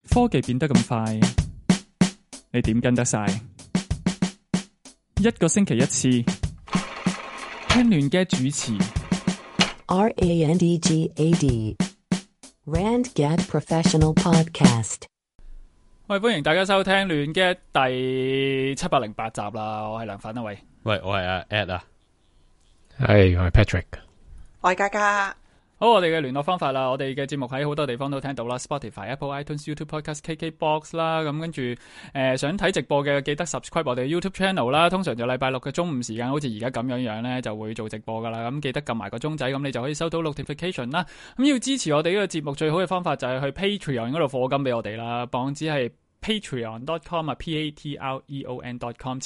科技變得咁快，你點跟得晒？一個星期一次，聽亂嘅主持。RANDGAD RandGad Professional Podcast。喂，歡迎大家收聽亂嘅第708集啦！我係梁粉啊，喂，我係阿 Ed 啊，係我係 Patrick，我係嘉嘉。好，我哋嘅聯絡方法啦，我哋嘅節目喺好多地方都聽到啦 ，Spotify、Apple、iTunes、YouTube Podcast、KKBox 啦，咁跟住想睇直播嘅記得 subscribe 我哋 YouTube channel 啦，通常就禮拜六嘅中午時間，好似而家咁樣咧，就會做直播噶啦，咁記得撳埋個鐘仔，咁你就可以收到 notification 啦。咁要支持我哋呢個節目最好嘅方法就係去 Patreon 嗰度課金俾我哋啦，網址係patreon.com 啊 patreon.com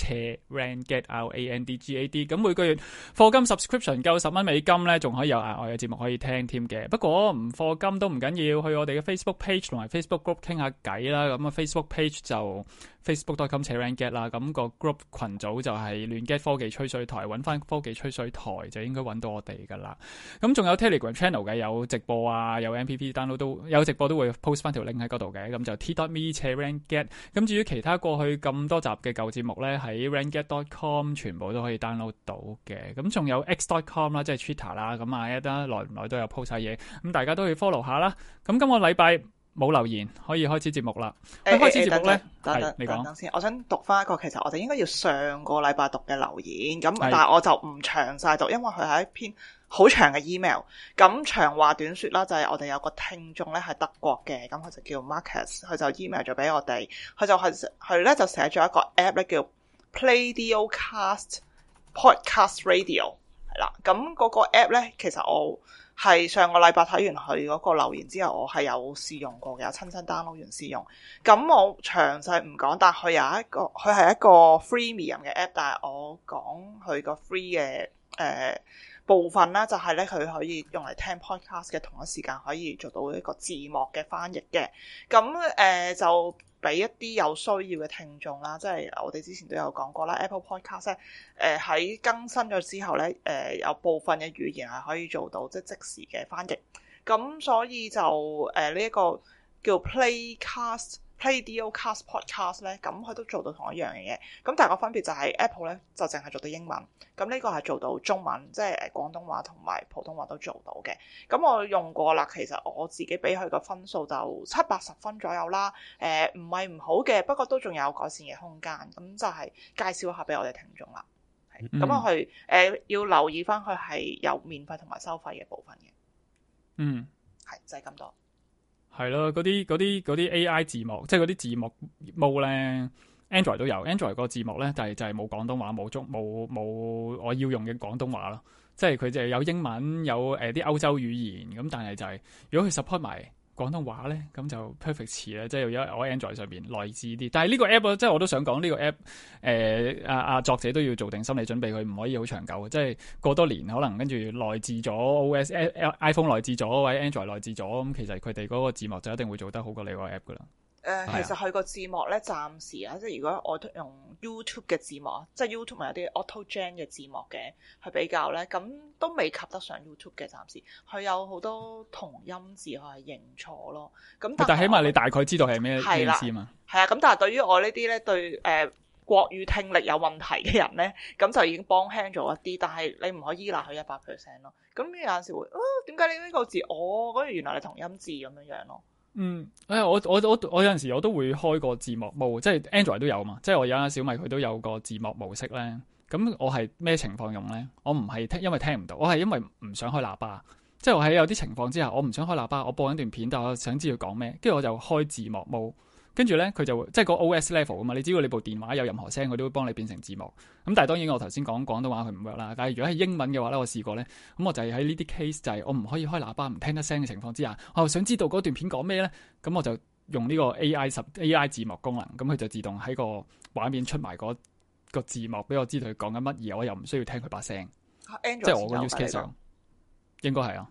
RandGad RandGad， 咁每個月課金 subscription 夠$10美金咧，仲可以有額外嘅節目可以聽添嘅。不過唔課金都唔緊要，去我哋嘅 Facebook page 同埋 Facebook group 傾下偈啦。咁啊 Facebook page 就facebook.com RandGad 啦，咁個 group 群組就係亂 get 科技吹水台，揾翻科技吹水台就應該揾到我哋噶啦。咁仲有 Telegram channel 嘅，有直播啊，有 MPP download 都有直播都會 post 翻條 link 喺嗰度嘅。咁就 t.me/RandGad。咁至於其他過去咁多集嘅舊節目咧，喺 RandGad.com 全部都可以 download 到嘅。咁仲有 X.com 啦，即係 Twitter 啦。咁啊，一得耐唔耐都有 post 晒嘢，咁大家都可以 follow 下啦。咁今個禮拜冇留言，可以開始節目啦。開始節目咧，係你講先。我想讀翻一個，其實我哋應該要上個禮拜讀嘅留言，咁但係我就唔詳細讀，因為佢係一篇好長嘅 email。咁長話短說啦，就係我哋有個聽眾咧係德國嘅，咁佢就叫 Marcus， 佢就 email 咗俾我哋，佢咧就寫咗一個 app 咧叫 Play.Cast Podcast Radio 係啦。咁嗰個 app 咧，其實我係上個禮拜睇完佢嗰個留言之後，我係有試用過嘅，有親身 download 完試用。咁我詳細唔講，但佢係一個 freemium 嘅 app， 但係我講佢個 free 嘅部分啦，就係咧佢可以用嚟聽 podcast 嘅同一時間可以做到一個字幕嘅翻譯嘅。咁就俾一啲有需要嘅聽眾啦，即係我哋之前都有講過啦 Apple Podcast 咧，喺更新咗之後咧，有部分嘅語言係可以做到即時嘅翻譯。咁所以就呢一個叫 Play.Cast Podcast 咧，咁佢都做到同一樣嘅嘢。咁但係個分別就係 Apple 咧就淨係做到英文，咁呢個係做到中文，即係廣東話同埋普通話都做到嘅。咁我用過啦，其實我自己俾佢個分數就70-80分左右啦。唔係唔好嘅，不過都仲有改善嘅空間。咁就係介紹一下俾我哋聽眾啦。咁我去要留意翻佢係有免費同埋收費嘅部分嘅。係就係咁多。係咯，嗰啲 AI 字幕，即係嗰啲字幕冇咧 ，Android 都有 ，Android 個字幕咧就係冇廣東話，冇我要用嘅廣東話咯，即係佢就係有英文，有啲歐洲語言，咁但係就係如果佢 support 埋廣東話咧，咁就 perfect 詞咧，即係有我 Android 上邊內置啲。但係呢個 app 即係我都想講呢個 app，作者都要做定心理準備，佢唔可以好長久，即係過多年可能跟住內置咗 OS、iPhone 內置咗或者 Android 內置咗，咁其實佢哋嗰個字幕就一定會做得好過你個 app 噶啦。其實佢個字幕咧，暫時啊，即係如果我用 YouTube 嘅字幕，即係 YouTube 咪有啲 Auto Gen 嘅字幕嘅，去比較咧，咁都未及得上 YouTube 嘅。暫時佢有好多同音字，佢係認錯咯。咁但係起碼你大概知道係咩意思嘛？係啊，咁但係對於我呢啲咧對國語聽力有問題嘅人咧，咁就已經幫輕咗一啲。但係你唔可以依賴佢100% 咯。咁有陣時會點解你呢個字嗰原來係同音字咁樣咯？我有陣時我都會開個字幕模，即係 Android 都有嘛，即係我有間小米佢都有個字幕模式咧。咁我係咩情況用咧？我唔係因為聽唔到，我係因為唔想開喇叭。即係我喺有啲情況之下，我唔想開喇叭，我播緊段片，但我想知佢講咩，跟住我就開字幕模。跟住咧，佢就會即係個 OS level 啊嘛。你只要你部電話有任何聲，佢都會幫你變成字幕。咁但係當然我頭先講廣東話佢唔 work 啦。但係如果係英文嘅話咧，我試過咧，咁我就係喺呢啲 case 就係我唔可以開喇叭唔聽得聲嘅情況之下，我又想知道嗰段片講咩咧，咁我就用呢個 AI 字幕功能，咁佢就自動喺個畫面出埋個字幕俾我知道佢講緊乜，而我又唔需要聽佢把聲。即係我個 use case 上應該係啊。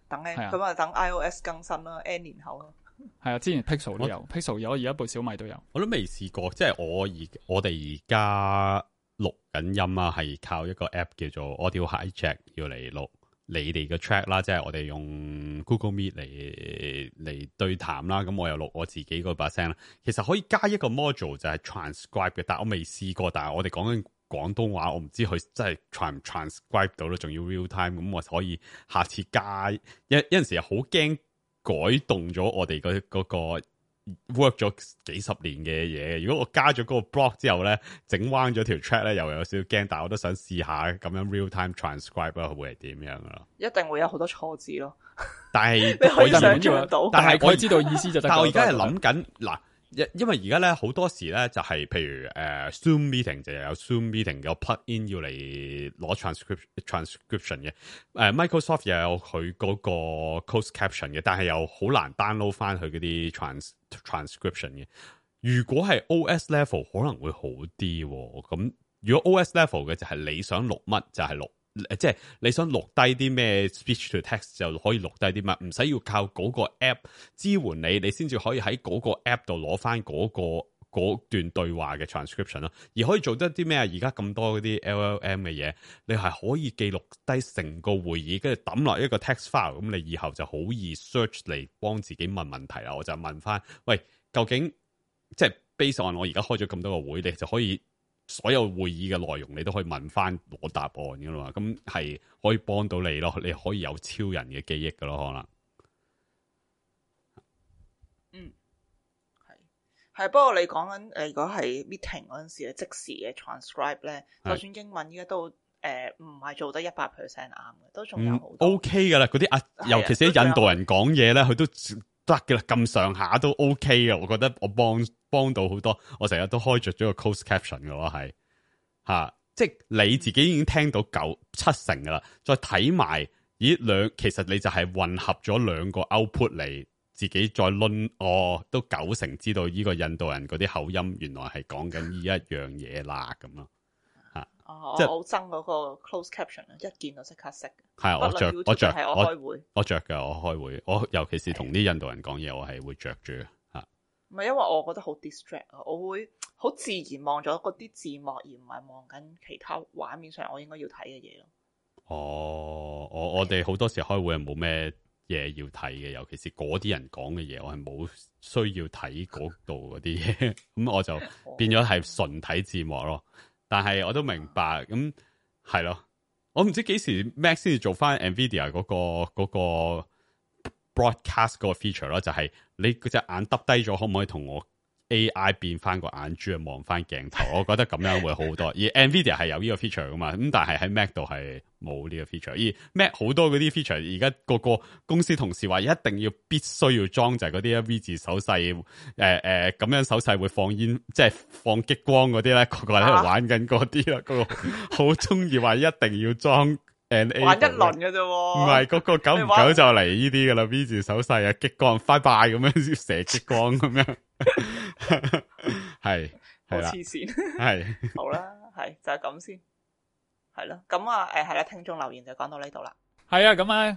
等你咁啊，等 iOS 更新啦，N 年後咯。係啊，之前 Pixel 都有 ，Pixel 有，而家部小米都有。我都未試過，即係我哋而家錄緊音啊，係靠一個 app 叫做 Audio Hijack 要嚟錄。你哋嘅 track 啦，即係我哋用 Google Meet 嚟對談啦，咁我又錄我自己嗰把聲啦。其實可以加一個 module 就係 transcribe 嘅，但係我未試過。但係我哋講緊廣東話，我唔知佢真係 transcribe 到咯，仲要 real time。咁我可以下次加有陣時又好驚改動咗我哋嗰個 work 咗幾十年嘅嘢。如果我加咗嗰個 block 之後咧，整彎咗條 track 咧，又有少少驚。但係我都想試下咁樣 real time transcribe 啦，會係點樣咯？一定會有好多錯字咯。但係你可以想象到，但係我知道意思就得。但係我而家係諗緊嗱。因為而家咧好多時咧就係譬如Zoom meeting 就有 Zoom meeting 有 plug in 要嚟攞 transcription 嘅，Microsoft 又有佢嗰個 closed caption 嘅，但係又好難 download 翻佢嗰啲 transcription 嘅。如果係 OS level 可能會好啲喎。咁如果 OS level 嘅就係你想錄乜就係錄。即係你想錄低啲咩 speech to text 就可以錄低啲乜，唔使要靠嗰個 app 支援你先至可以喺嗰個 app 度攞翻嗰段對話嘅 transcription 咯。而可以做得啲咩啊？而家咁多嗰啲 LLM 嘅嘢，你係可以記錄低成個會議，跟住抌落一個 text file，咁你以後就好易 search 嚟幫自己問問題啦。我就問翻，喂，究竟即係 based on 我而家開咗咁多個會，你就可以。所有會議嘅內容你都可以問翻攞答案噶啦嘛，咁係可以幫到你咯，你可以有超人嘅記憶噶咯，可能。係，不過你講緊如果係 meeting 嗰陣時咧，即時嘅 transcribe 咧，就算英文依家都唔係做得100% 啱嘅，都仲有好多。OK 噶啦，嗰啲尤其是啲印度人講嘢咧，佢都得嘅啦，咁上下都 OK 嘅。我覺得我幫到好多，我成日都開着咗個 closed caption 嘅話係吓，即係你自己已經聽到7成噶啦，再睇埋其實你就係混合咗兩個 output 嚟。自己再論都9成知道呢個印度人嗰啲口音原來係講緊呢一樣嘢啦咁咯嚇。即係我好憎嗰個 closed caption 啊，一見到即刻識。係我着我開會，我着嘅，我開會，我尤其是同啲印度人講嘢，我係會着住嚇。唔係因為我覺得好 distract 啊，我會好自然望咗嗰啲字幕，而唔係望緊其他畫面上我應該要睇嘅嘢咯。我哋好多時開會係冇咩嘢要睇嘅，尤其是嗰啲人講嘅嘢，我係冇需要睇嗰度嗰啲嘢，咁我就變咗係純睇字幕咯。但係我都明白，咁係咯，我唔知幾時 Mac 先至做翻 Nvidia 嗰個 broadcast 嗰個 feature 咯，就係你嗰隻眼耷低咗，可唔可以同我 AI 變翻個眼珠啊，望翻鏡頭？我覺得咁樣會好多。而 Nvidia 係有呢個 feature 噶嘛，咁但係喺 Mac 度係冇呢個 feature。而 Mac 好多嗰啲 feature，而家個個公司同事話一定必須要裝，就係嗰啲 V 字手勢，咁樣手勢會放煙，即係放激光嗰啲咧，個個喺度玩緊嗰啲啦，個個好中意話一定要裝。玩一輪嘅啫，唔係嗰個久唔久就嚟呢啲噶啦 ，V 字手勢啊，激光拜拜咁樣射激光咁樣，係好黐線，係好啦，係就係咁先，係咯，咁啊，係啦，聽眾留言就講到呢度啦。係啊，咁咧，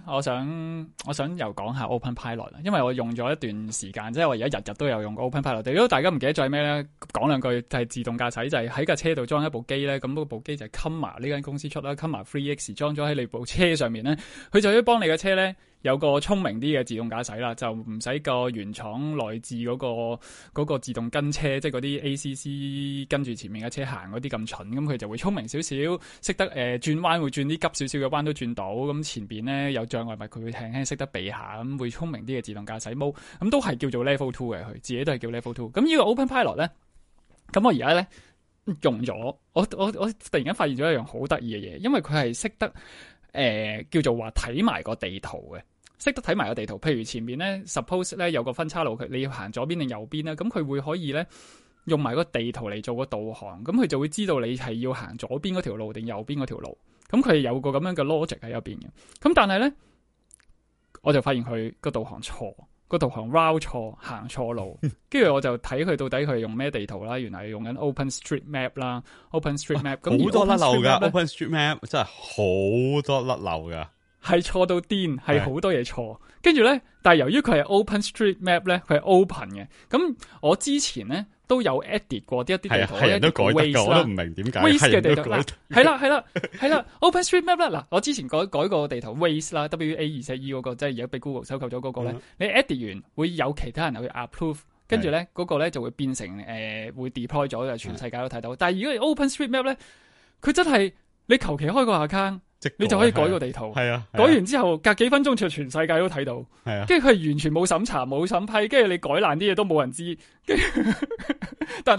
我想又講下 OpenPilot 啦，因為我用咗一段時間，即係我而家日日都有用 OpenPilot。如果大家唔記得咗係咩咧，講兩句就係自動駕駛，就係喺架車度裝一部機咧，咁嗰部機就係 Comma 呢間公司出啦 ，Comma 3X 裝咗喺你部車上面咧，佢就可以幫你嘅車咧有個聰明啲嘅自動駕駛啦，就唔使個原廠內置嗰個自動跟車，即係嗰啲 ACC 跟住前面嘅車行嗰啲咁蠢，咁佢就會聰明少少，識得轉彎會轉啲急少少嘅彎都轉到，咁前邊咧有障礙物佢會輕輕識得避下，咁會聰明啲嘅自動駕駛 mode，咁都係叫做 Level 2嘅，佢自己都係叫 Level 2。咁呢個 OpenPilot 咧，咁我而家咧用咗，我突然間發現咗一樣好得意嘅嘢，因為佢係識得叫做話睇埋個地圖嘅。識得睇埋個地圖，譬如前面咧 ，suppose 咧有個分叉路，你要行左邊定右邊咧，咁佢會可以咧用埋個地圖嚟做個導航，咁佢就會知道你係要行左邊嗰條路定右邊嗰條路，咁佢有個咁樣嘅 logic 喺入邊嘅。咁但係咧，我就發現佢個導航錯，個導航 route 錯，行錯路，跟住我就睇佢到底佢係用咩地圖啦，原來係用緊 OpenStreetMap 啦 ，OpenStreetMap 咁好多甩漏噶 ，OpenStreetMap 真係好多甩漏噶。係錯到癲，係好多嘢錯。跟住咧，但係由於佢係 OpenStreetMap 咧，佢係 open 嘅。咁我之前咧都有 edit 過啲一啲地圖，係人都改得㗎，我都唔明點解 Waze 嘅地圖係係啦 ，OpenStreetMap 啦，嗱，我之前改個地圖 Waze 啦 ，WA24E 嗰個，即係而家俾 Google 收購咗嗰個咧，你 edit 完會有其他人去 approve， 跟住咧嗰個咧就會變成會 deploy 咗，就全世界都睇到。但係如果 OpenStreetMap 咧，佢真係你求其開個 account。你就可以改個地圖，係啊，改完之後隔幾分鐘就全世界都睇到，係啊，跟住佢係完全冇審查冇審批，跟住你改爛啲嘢都冇人知，但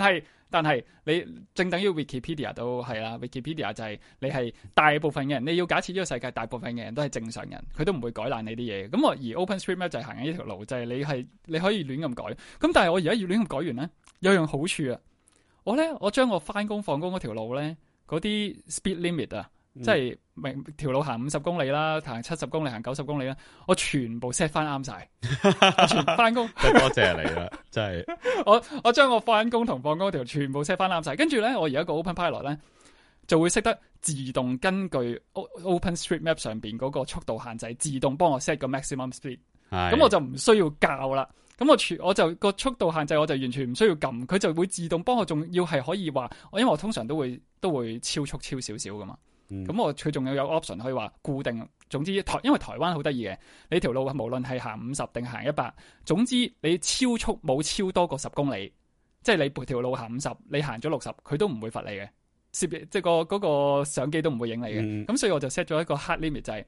係你正等於 Wikipedia 都係啦 ，Wikipedia 就係你係大部分嘅人，你要假設呢個世界大部分嘅人都係正常人，佢都唔會改爛你啲嘢。咁而 OpenStreetMap 就係行緊呢條路，就係你可以亂咁改。咁但係我而家要亂咁改完咧，有樣好處啊，我將我翻工放工嗰條路咧，嗰啲 speed limit 啊。即係明條路行50公里啦，行70公里，行90公里啦，我全部 set 翻啱晒，全翻工。多謝你啦，真係。我將我翻工同放工嗰條全部 set 翻啱晒，跟住咧，我而家個 OpenPilot 咧就會識得自動根據 OpenStreetMap 上邊嗰個速度限制，自動幫我 set 個 maximum speed。咁我就唔需要校啦。咁我就個速度限制我就完全唔需要撳，佢就會自動幫我，仲要係可以話，因為我通常都會超速超少少噶嘛。咁佢仲有 option 可以話固定，總之因為台灣好得意嘅，你條路無論係行50定行100，總之你超速冇超多過10公里，即係你條路行50，你行咗60，佢都唔會罰你嘅，即係嗰個相機都唔會影你嘅。咁所以我就 set 咗一個 hard limit，就係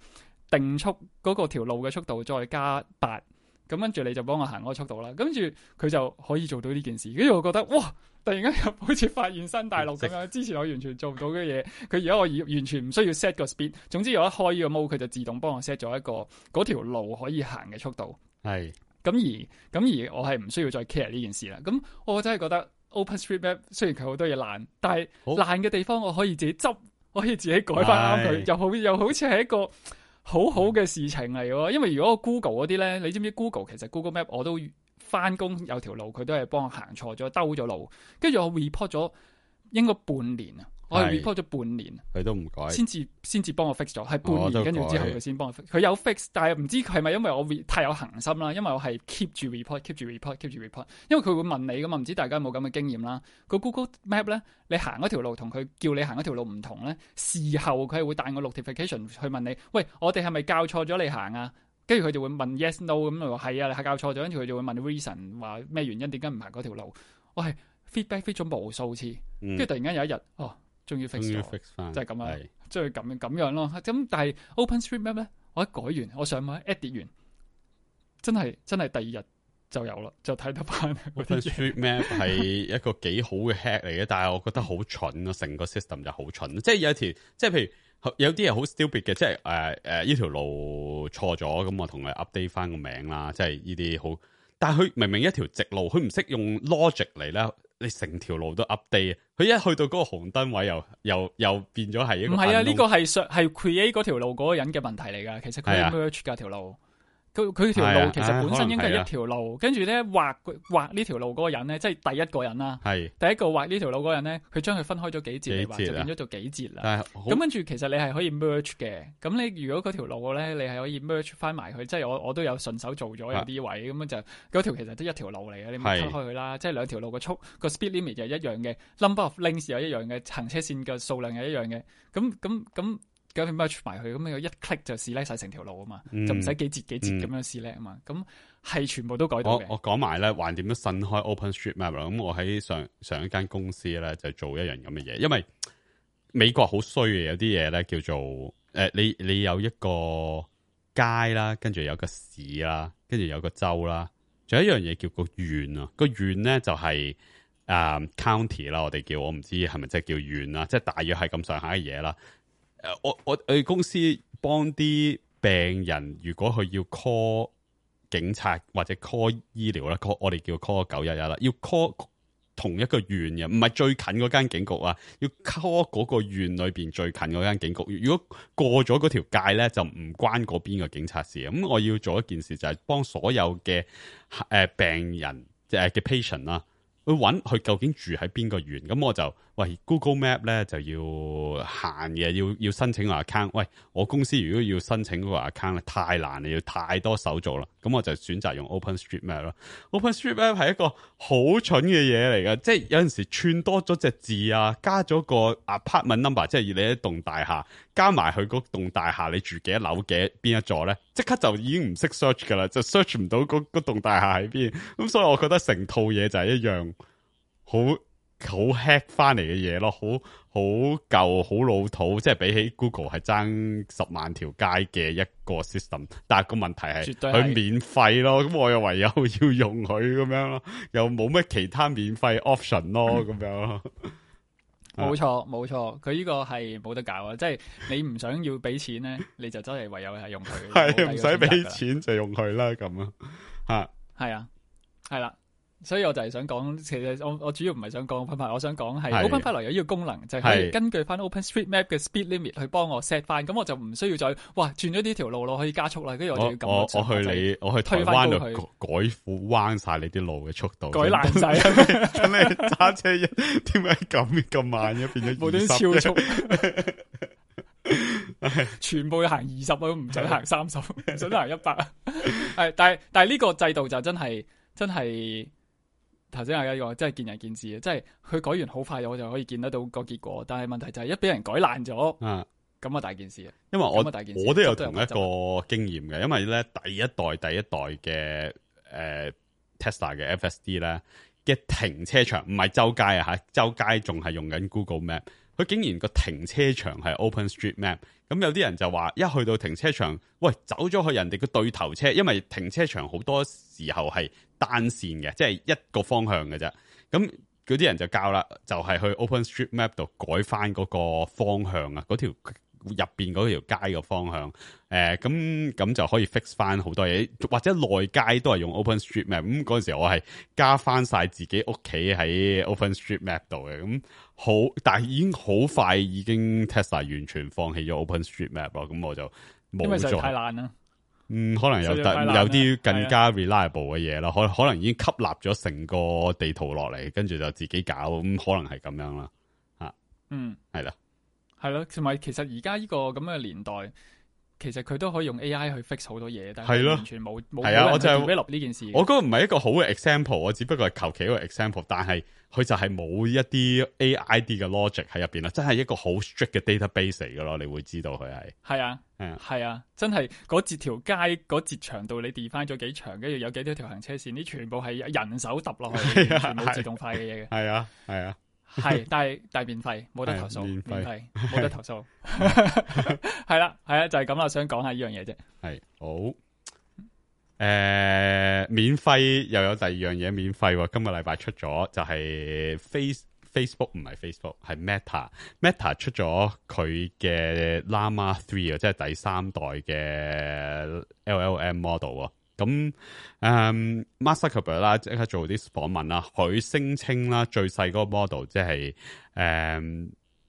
定速嗰個條路嘅速度再加8，咁跟住你就幫我行嗰個速度啦。跟住佢就可以做到呢件事，跟住我覺得哇！突然間又好似發現新大陸咁樣，之前我完全做唔到嘅嘢，佢而家我完全唔需要 set 個 speed， 總之我一開呢個 mode，佢就自動幫我 set 咗一個嗰條路可以行嘅速度。係咁而我係唔需要再 care 呢件事啦。咁我真係覺得 OpenStreetMap 雖然佢好多嘢爛，但係爛嘅地方我可以自己執，我可以自己改翻啱佢，又好似係一個好好嘅事情嚟喎。因為如果 Google 嗰啲咧，你知唔知 Google 其實 Google Map 我都翻工有條路，佢都係幫我行錯咗，兜咗路，跟住我 report 咗應該半年啊，我係 report 咗半年，佢都唔改，先至幫我 fix 咗，係半年，跟住之後佢先幫我 fix，佢有 fix， 但係唔知係咪因為我太有恒心啦，因為我係 keep 住 report， 因為佢會問你噶嘛，唔知大家有冇咁嘅經驗啦？個 Google Map 咧，你行嗰條路同佢叫你行嗰條路唔同咧，事後佢係會彈個 notification 去問你，喂，我哋係咪教錯咗你行啊？跟住佢就會問 yes no 咁就話係啊，你係教錯咗，跟住佢就會問 reason 話咩原因，點解唔行嗰條路？我係 feedback 咗無數次，跟住突然間有一日，終於 fix 咗，就係咁樣，即係咁樣咯。咁但係 OpenStreetMap 咧，我一改完，我上網 edit 完，真係第二日就有啦，就睇得翻。OpenStreetMap 係一個幾好嘅 hack 嚟嘅，但係我覺得好蠢咯，成個 system 就好蠢。即係有一條，即係譬如。有啲係好 stupid 嘅，即係呢條路錯咗，咁我同佢 update 翻個名啦，即係呢啲好。但係佢明明一條直路，佢唔識用 logic 嚟咧，你成條路都 update，佢一去到嗰個紅燈位又變咗係一個。唔係啊，呢個係 create 嗰條路嗰個人嘅問題嚟㗎，其實佢 merge 㗎條路。佢條路其實本身應該係一條路，跟住咧畫呢條路嗰個人咧，即係第一個人啦。係第一個畫呢條路嗰個人咧，佢將佢分開咗幾節嚟畫，就變咗做幾節啦。咁跟住其實你係可以 merge 嘅。咁你如果嗰條路咧，你係可以 merge 翻埋佢，即係我都有順手做咗有啲位，咁樣就嗰條其實都一條路嚟嘅，你咪分開佢啦。即係兩條路個speed limit 又一樣嘅 ，number of links 又一樣嘅，行車線嘅數量又一樣嘅。咁 merge 埋佢，咁你一 click 就 select 晒成條路啊嘛，就唔使幾節咁樣 select 啊嘛，咁係全部都改到嘅。我講埋咧，橫掂都新開 OpenStreetMap 啦。咁我喺上一間公司咧就做一樣咁嘅嘢，因為美國好衰嘅，有啲嘢咧叫做你有一個街啦，跟住有個市啦，跟住有個州啦，仲有一樣嘢叫個縣啊。個縣咧就係county 啦，我哋叫，我唔知係咪即係叫縣啦，即係大約係咁上下嘅嘢啦。我哋公司幫啲病人，如果佢要 call 警察或者 call 醫療啦，我哋叫 call 911啦，要 call 同一個縣嘅，唔係最近嗰間警局啊，要 call 嗰個縣裏邊最近嗰間警局。如果過咗嗰條界咧，就唔關嗰邊嘅警察事。咁我要做一件事，就係幫所有嘅病人嘅 patient 啦，去揾佢究竟住喺邊個縣，咁我就喂 Google Map 咧就要限嘅，要申請個 account。喂，我公司如果要申請嗰個 account 咧，太難啦，要太多手續啦。咁我就選擇用 OpenStreetMap 咯。OpenStreetMap 係一個好蠢嘅嘢嚟㗎，即係有陣時串多咗隻字啊，加咗個 apartment number， 即係你一棟大廈加埋佢嗰棟大廈你住幾多樓嘅邊一座咧，即刻就已經唔識 search 噶啦，就 search 唔到嗰棟大廈喺邊。咁所以我覺得成套嘢就係一樣好 hack 翻嚟嘅嘢咯，好舊好老土，即係比起 Google 係爭10萬條街嘅一個 system， 但係個問題係佢免費咯，咁我又唯有要用佢咁樣咯，又冇咩其他免費 option 咯，咁樣咯。冇錯，佢呢個係冇得搞啊！即係你唔想要俾錢咧，你就真係唯有係用佢。係唔使俾錢就用佢啦，咁啊，係啊，係啦。所以我就係想講，其實我主要唔係想講 OpenPilot，我想講係 OpenPilot 有呢個功能，就係可以根據翻 OpenStreetMap 嘅 speed limit 去幫我 set 翻，咁我就唔需要再轉咗呢條路可以加速啦，跟住我就要撳我去台灣度改彎晒你啲路嘅速度，改爛晒，咁你揸車點解咁慢嘅變咗無端超速，全部要行20都唔准行30，唔准行100。係，但係呢個制度就真係。頭先係一個真係見仁見智嘅，即係佢改完好快，我就可以見得到個結果。但係問題就係一俾人改爛咗，咁啊大件事啊！因為我都有同一個經驗嘅，因為咧第一代嘅Tesla 嘅 FSD 咧嘅停車場唔係周街啊吓，周街仲係用緊 Google Map， 佢竟然個停車場係 OpenStreetMap。咁有啲人就話，一去到停車場，喂，走咗去人哋嘅對頭車，因為停車場好多時候係單線嘅，即係一個方向嘅啫。咁嗰啲人就教啦，就係去 OpenStreetMap 度改翻嗰個方向啊，嗰條入邊嗰條街嘅方向。咁就可以 fix 翻好多嘢，或者內街都係用 OpenStreetMap。咁嗰陣時我係加翻晒自己屋企喺 OpenStreetMap 度嘅。咁好，但係已經好快已經 Tesla 完全放棄咗 OpenStreetMap 咯。咁我就冇咗。因為實在太爛啦。可能有啲更加 reliable 嘅嘢啦，可能已經吸納咗成個地圖落嚟，跟住就自己搞，咁可能係咁樣啦，係啦，係咯，同埋其實而家呢個咁嘅年代，其實佢都可以用 AI 去 fix 好多嘢，但係完全冇人去 develop 呢件事。我覺得唔係一個好嘅 example， 我只不過係求其一個 example， 但係佢就係冇一啲 AID 嘅 logic 喺入邊啦，真係一個好 strict 嘅 database 嚟噶咯，你會知道佢係係啊，真係嗰節條街嗰節長度你 define 咗幾長，跟住有幾多條行車線，呢全部係人手揼落去，全冇自動化嘅嘢嘅。係啊，係，但係免費，冇得投訴，免費冇得投訴。係啦，就係咁啦，想講下呢樣嘢啫。係好，免費又有第二樣嘢免費，今個禮拜出咗就係 Facebook 唔係 Facebook 係 Meta 出咗佢嘅 Llama 3啊，即係第3代嘅 LLM model 啊。咁Mark Zuckerberg 啦，即刻做啲訪問啦，佢聲稱啦，最細嗰個 model 即係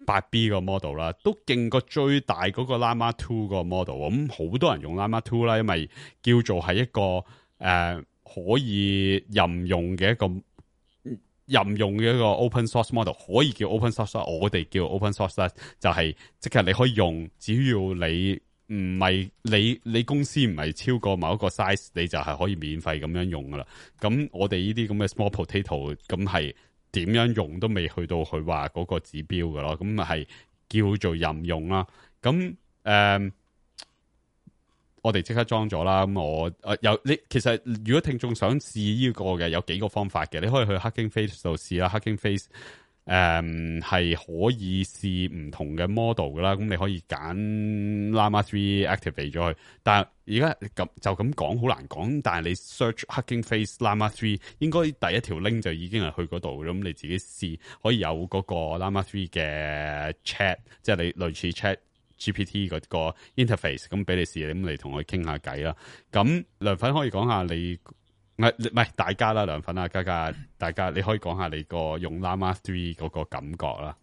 8B 個 model 啦，都勁過最大嗰個 Llama 2個 model。咁好多人用 Llama 2啦，因為叫做係一個可以任用嘅一個 open source model， 可以叫 open source， 我哋叫 open source 啦，就係即係你可以用，只要你唔係你公司唔係超過某一個 size， 你就係可以免費咁樣用噶啦。咁我哋呢啲咁嘅 small potato， 咁係點樣用都未去到佢話嗰個指標噶咯。咁係叫做任用啦。咁我哋即刻裝咗啦。咁你其實如果聽眾想試呢個嘅，有幾個方法嘅，你可以去 Hugging Face 度試啦。Hugging Face 係可以試唔同嘅 model 噶啦，咁你可以揀 Llama 3 activate 咗佢。但係而家就咁講好難講，但係你 search Hugging Face Llama 3，應該第一條 link 就已經係去嗰度，咁你自己試可以有嗰個 Llama 3嘅 chat， 即係你類似 chat GPT 嗰個 interface， 咁俾你試，咁你同佢傾下偈啦。咁梁粉可以講下你。唔係大家啦，梁粉啊，嘉嘉，大家你可以講下你個用 Llama 3嗰個感覺啦。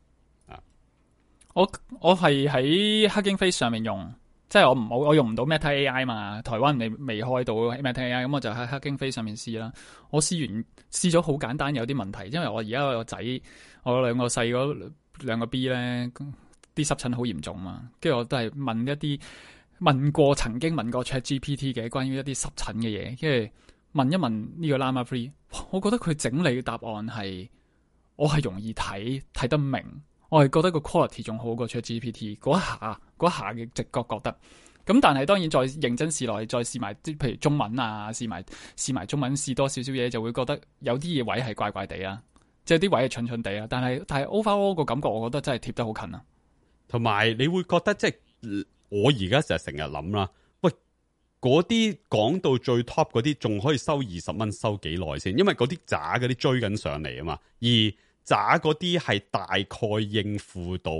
我係喺 Hugging Face 上面用，即係我用唔到 Meta AI 嘛，台灣未開到 Meta AI，咁我就喺黑京飛上面試啦。我試咗好簡單，有啲問題，因為我而家個仔，我兩個細嗰兩個 B 咧，啲濕疹好嚴重嘛，跟住我都係曾經問過 ChatGPT 嘅關於一啲濕疹嘅嘢，跟住問一問呢個 Llama 3，我覺得佢整理嘅答案係我係容易睇得明。我係覺得個 quality 仲好過 ChatGPT 嗰下嘅直覺覺得，咁但係當然再認真試落去，再試埋譬如中文啊，試埋中文試多少少嘢，就會覺得有啲嘢位係怪怪地啊，即係啲位係蠢蠢地啊。但係 overall 個感覺，我覺得真係貼得好近啊。同埋你會覺得即係我而家成日諗啦，喂，嗰啲講到最 top 嗰啲，仲可以收20蚊收幾耐先？因為嗰啲渣嗰啲追緊上嚟啊嘛，而渣嗰啲係大概應付到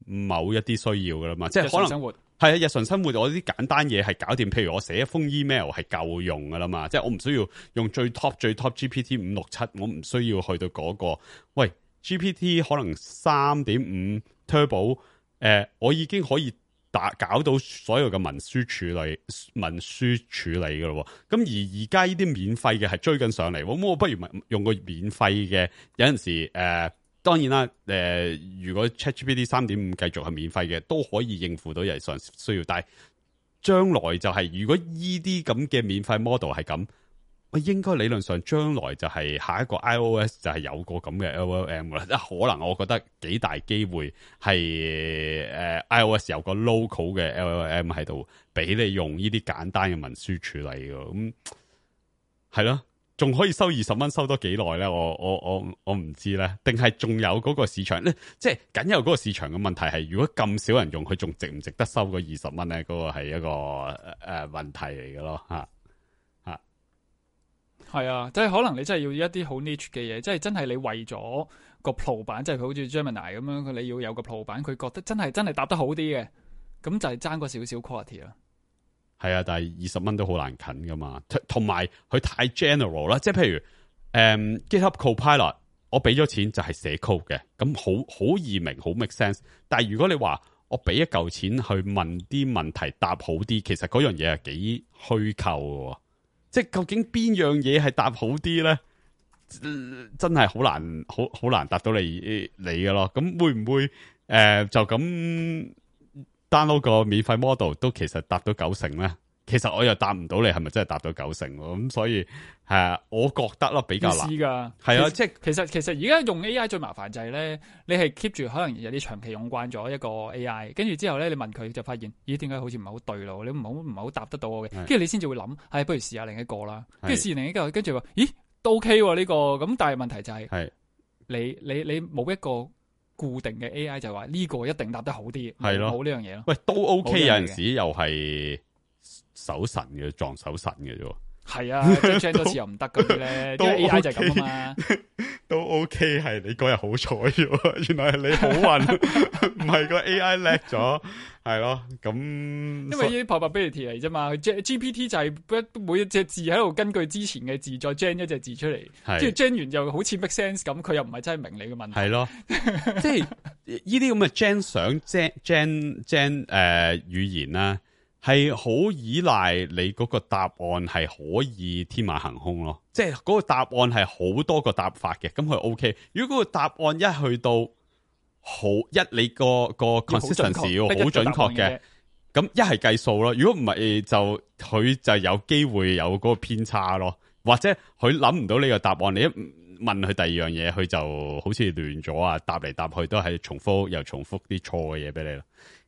某一啲需要噶啦嘛，即係可能生活係啊，日常生活我啲簡單嘢係搞掂，譬如我寫一封 email 係夠用噶啦嘛，即係我唔需要用最 top GPT 567，我唔需要去到嗰個。喂 GPT 可能3.5 Turbo，我已經可以搞到所有嘅文書處理噶咯，咁而家呢啲免費嘅係追緊上嚟，咁我不如用個免費嘅。有陣時當然啦，如果 ChatGPT 3.5繼續係免費嘅，都可以應付到日常需要。但係將來就係如果呢啲咁嘅免費 model 係咁，我應該理論上將來就係下一個 iOS 就係有個咁嘅 LLM 噶啦，即係可能我覺得幾大機會係iOS 有個 local 嘅 LLM 喺度，俾你用呢啲簡單嘅文書處理嘅，咁係咯，仲可以收20蚊，收多幾耐咧？我唔知咧，定係仲有嗰個市場咧？即係僅有嗰個市場嘅問題係，如果咁少人用，佢仲值唔值得收嗰20蚊咧？嗰個係一個問題嚟嘅咯，吓。係啊，即係可能你真係要一啲好 niche 嘅嘢，即係真係你為咗個 Pro 版，即係佢好似 Gemini 咁樣，你要有個 Pro 版，佢覺得真係答得好啲嘅，咁就係爭個少少 quality 啦。係啊，但係20蚊都好難近噶嘛，同埋佢太 general 啦，即係譬如GitHub Copilot，我俾咗錢就係寫 code 嘅，咁好易明，好 make sense。但係如果你話我俾一嚿錢去問啲問題答好啲，其實嗰樣嘢係幾虛構嘅。即係究竟邊樣嘢係答好啲咧？真係好難答到你嘅咯。咁會唔會就咁 download 個免費 model 都其實答到90%咧？其實我又答唔到你係咪真係答到90%喎？咁所以係我覺得咯比較難㗎。係啊，即係其實而家用 AI 最麻煩就係咧，你係 keep 住可能有啲長期用慣咗一個 AI， 跟住之後咧你問佢就發現，咦點解好似唔係好對路？你唔係好答得到我嘅，跟住你先至會諗，不如試下另一個啦。跟住試完另一個，跟住話，咦都 OK 喎呢個。咁但係問題就係你冇一個固定嘅 AI 就話呢個一定答得好啲，係咯，冇呢樣嘢咯。喂，都 OK，有陣時又係手神嘅，撞手神嘅啫。係啊，即係 gen 多次又唔得嗰啲咧，因為 AI 就係咁啊嘛。都 OK， 係你嗰日好彩喎，原來係你好運，唔係個 AI 叻咗，係咯。咁因為呢啲 probability 嚟啫嘛，GPT 就係每一隻字喺度根據之前嘅字再 gen 一隻字出嚟，即係 gen 完又好似 make sense 咁，佢又唔係真係明你嘅問題。係咯，即係呢啲咁嘅 gen 相 gen 語言啦。係好依賴你嗰個答案係可以天馬行空咯，即係嗰個答案係好多個答法嘅，咁佢 OK。如果嗰個答案一去到你個 consistency 要好準確嘅，咁一係計數咯。如果唔係就佢就有機會有嗰個偏差咯，或者佢諗唔到呢個答案，你一問佢第二樣嘢，佢就好似亂咗啊，答嚟答去都係重複啲錯嘅嘢俾你啦。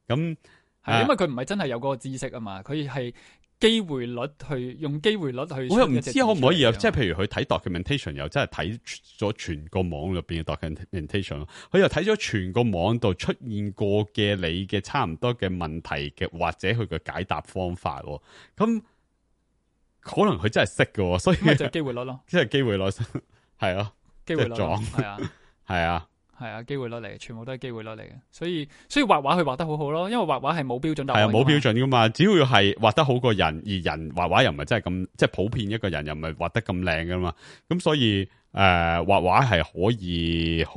咁係，因為佢唔係真係有嗰個知識啊嘛，佢係機會率去用機會率去。我又唔知可唔可以啊，即係譬如佢睇 documentation 又真係睇咗全個網入邊嘅 documentation， 佢又睇咗全個網度出現過嘅你嘅差唔多嘅問題嘅，或者佢嘅解答方法，咁可能佢真係識嘅，所以咪就係機會率咯，即係機會率係啊，機會率撞係啊，係啊。係啊，機會率嚟嘅，全部都係機會率嚟嘅，所以畫畫佢畫得好好咯，因為畫畫係冇標準答案。係啊，冇標準噶嘛，只要係畫得好過人，而人畫畫又唔係真係咁，即係普遍一個人又唔係畫得咁靚噶嘛，咁所以畫畫係可以好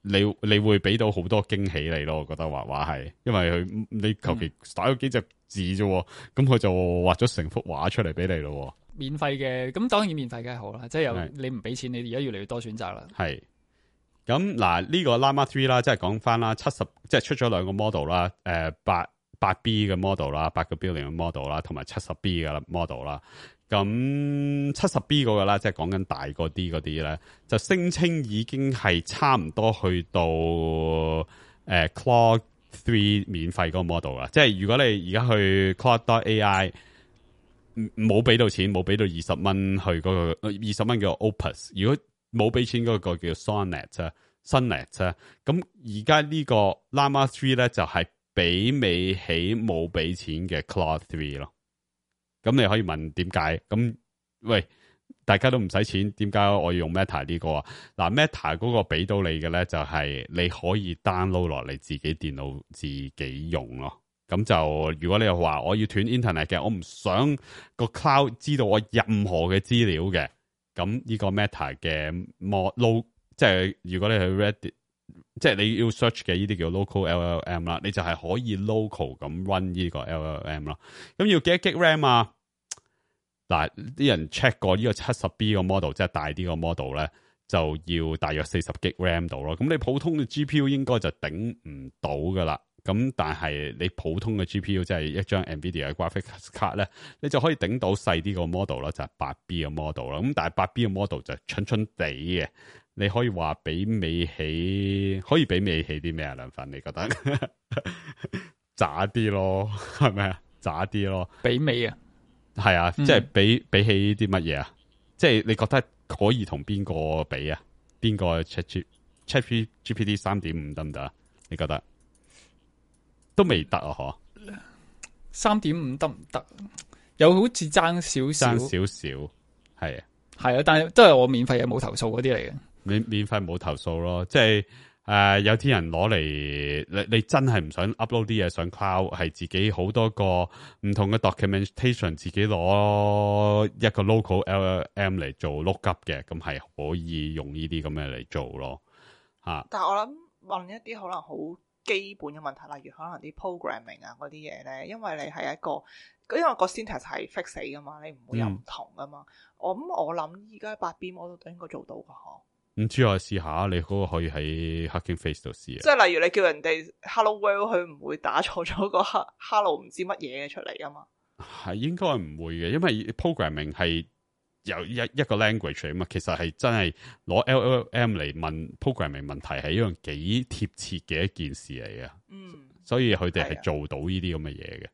你會俾到好多驚喜你咯，我覺得畫畫係，因為你求其打咗幾隻字啫，咁佢就畫咗成幅畫出嚟俾你咯。免費嘅，咁當然免費梗係好啦，即係你唔俾錢，你而家越嚟越多選擇啦。係。咁嗱呢個 Llama 3啦，即係講翻啦，70即係出咗兩個 model 啦，8B 嘅 model 啦，8個 billion 嘅 model 啦，同埋 70B 嘅 model 啦。咁 70B 嗰個啦，即係講緊大個啲嗰啲咧，就聲稱已經係差唔多去到Claude 3免費嗰個 model 啦。即係如果你而家去 Claude.ai 冇俾到錢，冇俾到20蚊去嗰個20蚊叫 Opus， 如果冇俾錢嗰個叫 Sonnet 啊 ，Sonnet 啊，咁而家呢個 Llama 3咧就係媲美起冇俾錢嘅 Claude 3咯。咁你可以問點解？咁喂，大家都唔使錢，點解我要用 Meta 呢個啊？嗱 ，Meta 嗰個俾到你嘅咧，就係你可以 download 落嚟自己電腦自己用咯。咁就如果你又話我要斷 internet 嘅，我唔想個 cloud 知道我任何嘅資料嘅，咁呢個 Meta 嘅 low， 即係如果你去 Reddit， 即係你要 search 嘅呢啲叫 local LLM 啦，你就係可以 local 咁 run 呢個 LLM 啦。咁要幾多 G RAM 啊？嗱，啲人 check 過呢個 70B 個 model， 即係大啲個 model 咧，就要大約40 G RAM 度咯。咁你普通嘅 GPU 應該就頂唔到噶啦。咁但係你普通嘅 GPU 即係一張 NVIDIA 嘅 graphics card 咧，你就可以頂到細啲個 model 啦，就係 8B 嘅 model 啦。咁但係 8B 嘅 model 就蠢蠢地嘅，你可以話媲美起，可以媲美起啲咩啊？梁粉，你覺得渣啲咯，係咪啊？渣啲咯，媲美啊，係啊，即係比起啲乜嘢啊？即係你覺得可以同邊個比啊？邊個 ChatGPT 3.5得唔得啊？你覺得？都未得啊！嗬，3.5得唔得？有好似爭少少，係啊，係啊，但係都係我免費嘅冇投訴嗰啲嚟嘅。免費冇投訴咯，即係有啲人攞嚟，你真係唔想 upload 啲嘢上 cloud， 係自己好多個唔同嘅 documentation， 自己攞一個 local LLM 嚟做 lookup 嘅，咁係可以用呢啲咁嘅嚟做咯。吓，但係我諗問一啲可能好基本嘅問題，例如可能啲 programming 啊嗰啲嘢咧，因為你係因為個 syntax 係 fix 死噶嘛，你唔會有唔同噶嘛。我諗依家 8B model 都應該做到噶嗬。唔知我試下，你嗰個可以喺 Hugging Face 度試啊。即係例如你叫人哋 Hello World， 佢唔會打錯咗個 Hello 唔知乜嘢嘅出嚟噶嘛。係應該唔會嘅，因為 programming 係由一個 language 嚟嘛，其實係真係攞 LLM 嚟問 programming 問題係一樣幾貼切嘅一件事嚟嘅。所以佢哋係做到呢啲咁嘅嘢嘅。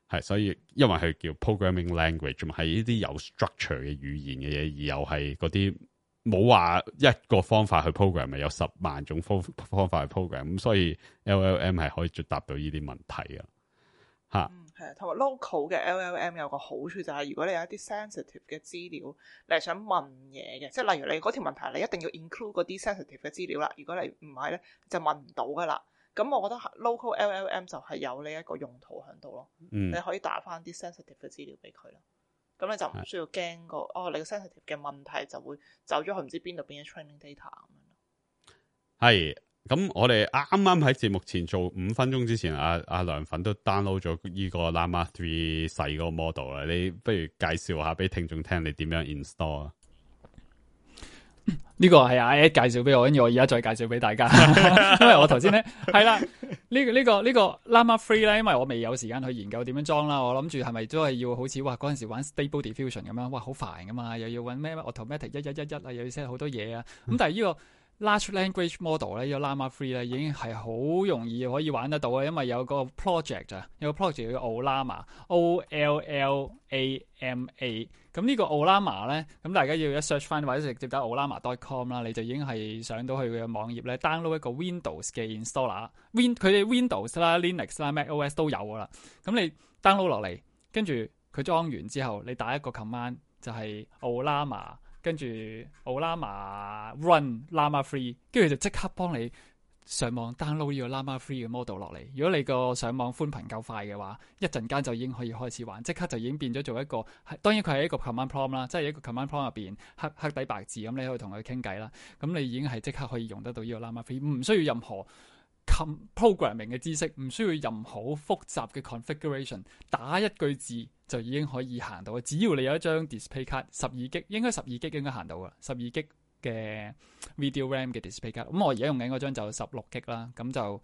係，所以因為佢叫 programming language 嘛，係呢啲有 structure 嘅語言嘅嘢，而又係嗰啲冇話一個方法去 program， 咪有10萬種方法去 program， 咁所以 LLM 係可以答到呢啲問題啊。吓，係啊，同埋 local 嘅 LLM 有個好處就係，如果你有一啲 sensitive 嘅資料，你係想問嘢嘅，即係例如你嗰條問題，你一定要 include 嗰啲 sensitive 嘅資料啦。如果你唔係咧，就問唔到噶啦。咁我覺得 local LLM 就係有呢一個用途喺度咯。你可以打翻啲 sensitive 嘅資料俾佢啦。咁你就唔需要驚你個 sensitive 嘅問題就會走咗去唔知邊度變咗 training data 咁樣。係，咁我哋啱啱喺節目前做5分鐘之前，阿梁粉都 download 咗呢個 Llama 3細個 model 啦。你不如介紹下俾聽眾聽，你點樣 install 啊？呢個係阿 Ed 介紹俾我，跟住我而家再介紹俾大家。因為我頭先咧係啦，呢個 Llama 3咧，因為我未有時間去研究點樣裝啦，我諗住係咪都係要好似嗰陣時玩 Stable Diffusion 咁樣，哇好煩噶嘛，又要搵咩 automatic 111啊，又要 set 好多嘢啊。咁但係呢個 Large Language Model 咧，呢個 Llama 3咧已經係好容易可以玩得到啊，因為有個 project 啊，有個 project 叫 Ollama OLLAMA。咁呢個 Ollama 咧，咁大家要一 search 翻或者直接打 Ollama.com 啦，你就已經係上到去佢嘅網頁咧 ，download 一個 Windows 嘅 installer，佢哋 Windows 啦、Linux 啦、MacOS 都有噶啦。咁你 download 落嚟，跟住佢裝完之後，你打一個 command 就係 Ollama，跟住 Ollama run Llama 3，跟住就即刻幫你上網 download 呢個 Llama 3嘅 model 落嚟。如果你個上網寬頻夠快嘅話，一陣間就已經可以開始玩，即刻就已經變咗做一個。當然佢係一個 command prompt 啦，即係一個 command prompt 入邊黑底白字咁，你可以同佢傾偈啦。咁你已經係即刻可以用得到呢個 Llama 3，唔需要任何 programming 嘅知識，唔需要任何複雜嘅 configuration， 打一句字就已經可以行到。只要你有一張 display 卡，12GB 應該12GB 應該行到噶，12GB 嘅 video RAM 嘅 display 卡。咁我而家用緊嗰張就16GB啦。咁就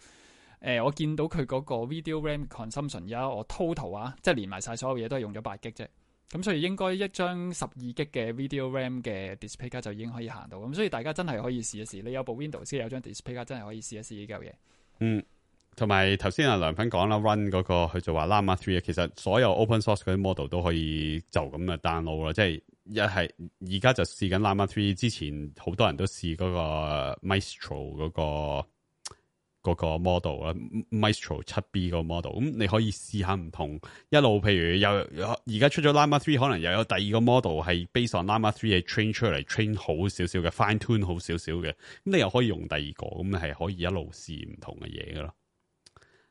我見到佢嗰個 video RAM consumption 而家我 total 啊，即係連埋晒所有嘢都係用咗8GB 啫。咁所以應該一張12GB 嘅 video RAM 嘅 display 卡就已經可以行到。咁所以大家真係可以試一試。你有部 Windows 有張 display 卡，真係可以試一試呢嚿嘢。嗯，同埋頭先阿梁粉講啦 ，run 嗰個佢就話 Llama 3，其實所有 open source 嗰啲 model 都可以就咁嘅 download 啦，即係一係而家就試緊 Llama 3，之前好多人都試嗰個 Maestro 嗰個 model 啦 ，Maestro 7B 個 model， 咁你可以試下唔同一路，譬如有而家出咗 Llama 3，可能又有第二個 model 係 based on Llama 3係 train 出嚟 train 好少少嘅 fine tune 好少少嘅，咁你又可以用第二個，咁係可以一路試唔同嘅嘢噶咯。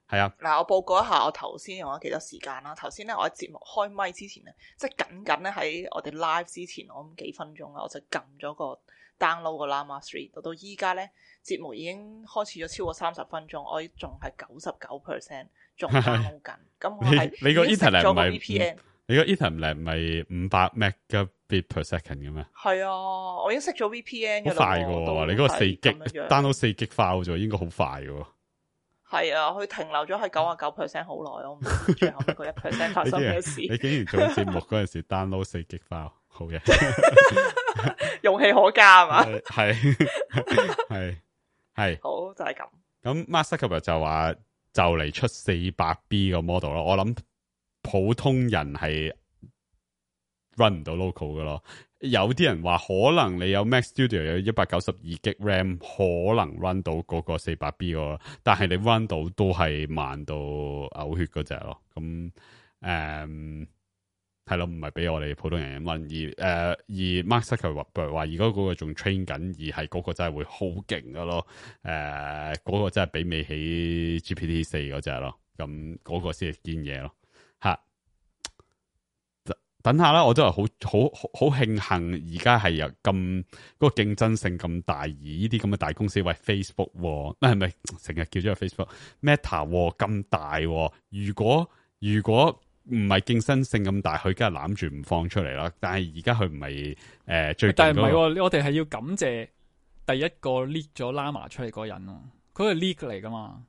係啊，嗱，我報告一下我頭先用咗幾多時間啦。頭先咧，我喺節目開咪之前咧，即係僅咧喺我哋 live 之前，我諗幾分鐘啦，我就撳咗個 download 個 Llama 3，到依家咧節目已經開始咗超過30分鐘，我仲係99% 仲 download 緊。咁我係你個 internet 唔係 VPN，你個 internet 唔係500 megabit per second 嘅咩？係啊，我已經熄咗 VPN 嘅啦。好快嘅，你嗰個4GB download 4GB file 咗，應該好快嘅。係啊，佢停留咗喺99% 好耐，我唔知最後嗰1% 發生咩事。你竟然做節目嗰陣時 download 4GB file， 好嘢，勇氣可嘉係嘛？係，好就係咁。咁 Mark Zuckerberg 就話就嚟出 400B 個 model 咯，我諗普通人係 run 唔到 local 嘅咯。有啲人話可能你有 Mac Studio 有 192GB RAM 可能 run 到嗰個 400B 個，但係你 run 到都係慢到嘔血嗰隻咯。咁係咯，唔係俾我哋普通人 run。而 Mark Zuckerberg 話而家嗰個仲 train 緊，而係嗰個真係會好勁噶咯。嗰個真係媲美起 GPT-4 嗰隻咯。咁嗰個先係堅嘢咯。吓。等下啦，我都係好慶幸，而家係有咁嗰個競爭性咁大，而呢啲咁嘅大公司，喂 Facebook， 係咪成日叫咗個 Facebook、Meta 咁大？如果唔係競爭性咁大，佢梗係攬住唔放出嚟啦。但係而家佢唔係最，但係唔係，我哋係要感謝第一個 leak 咗 Llama 出嚟嗰個人咯，佢係 leak 嚟噶嘛？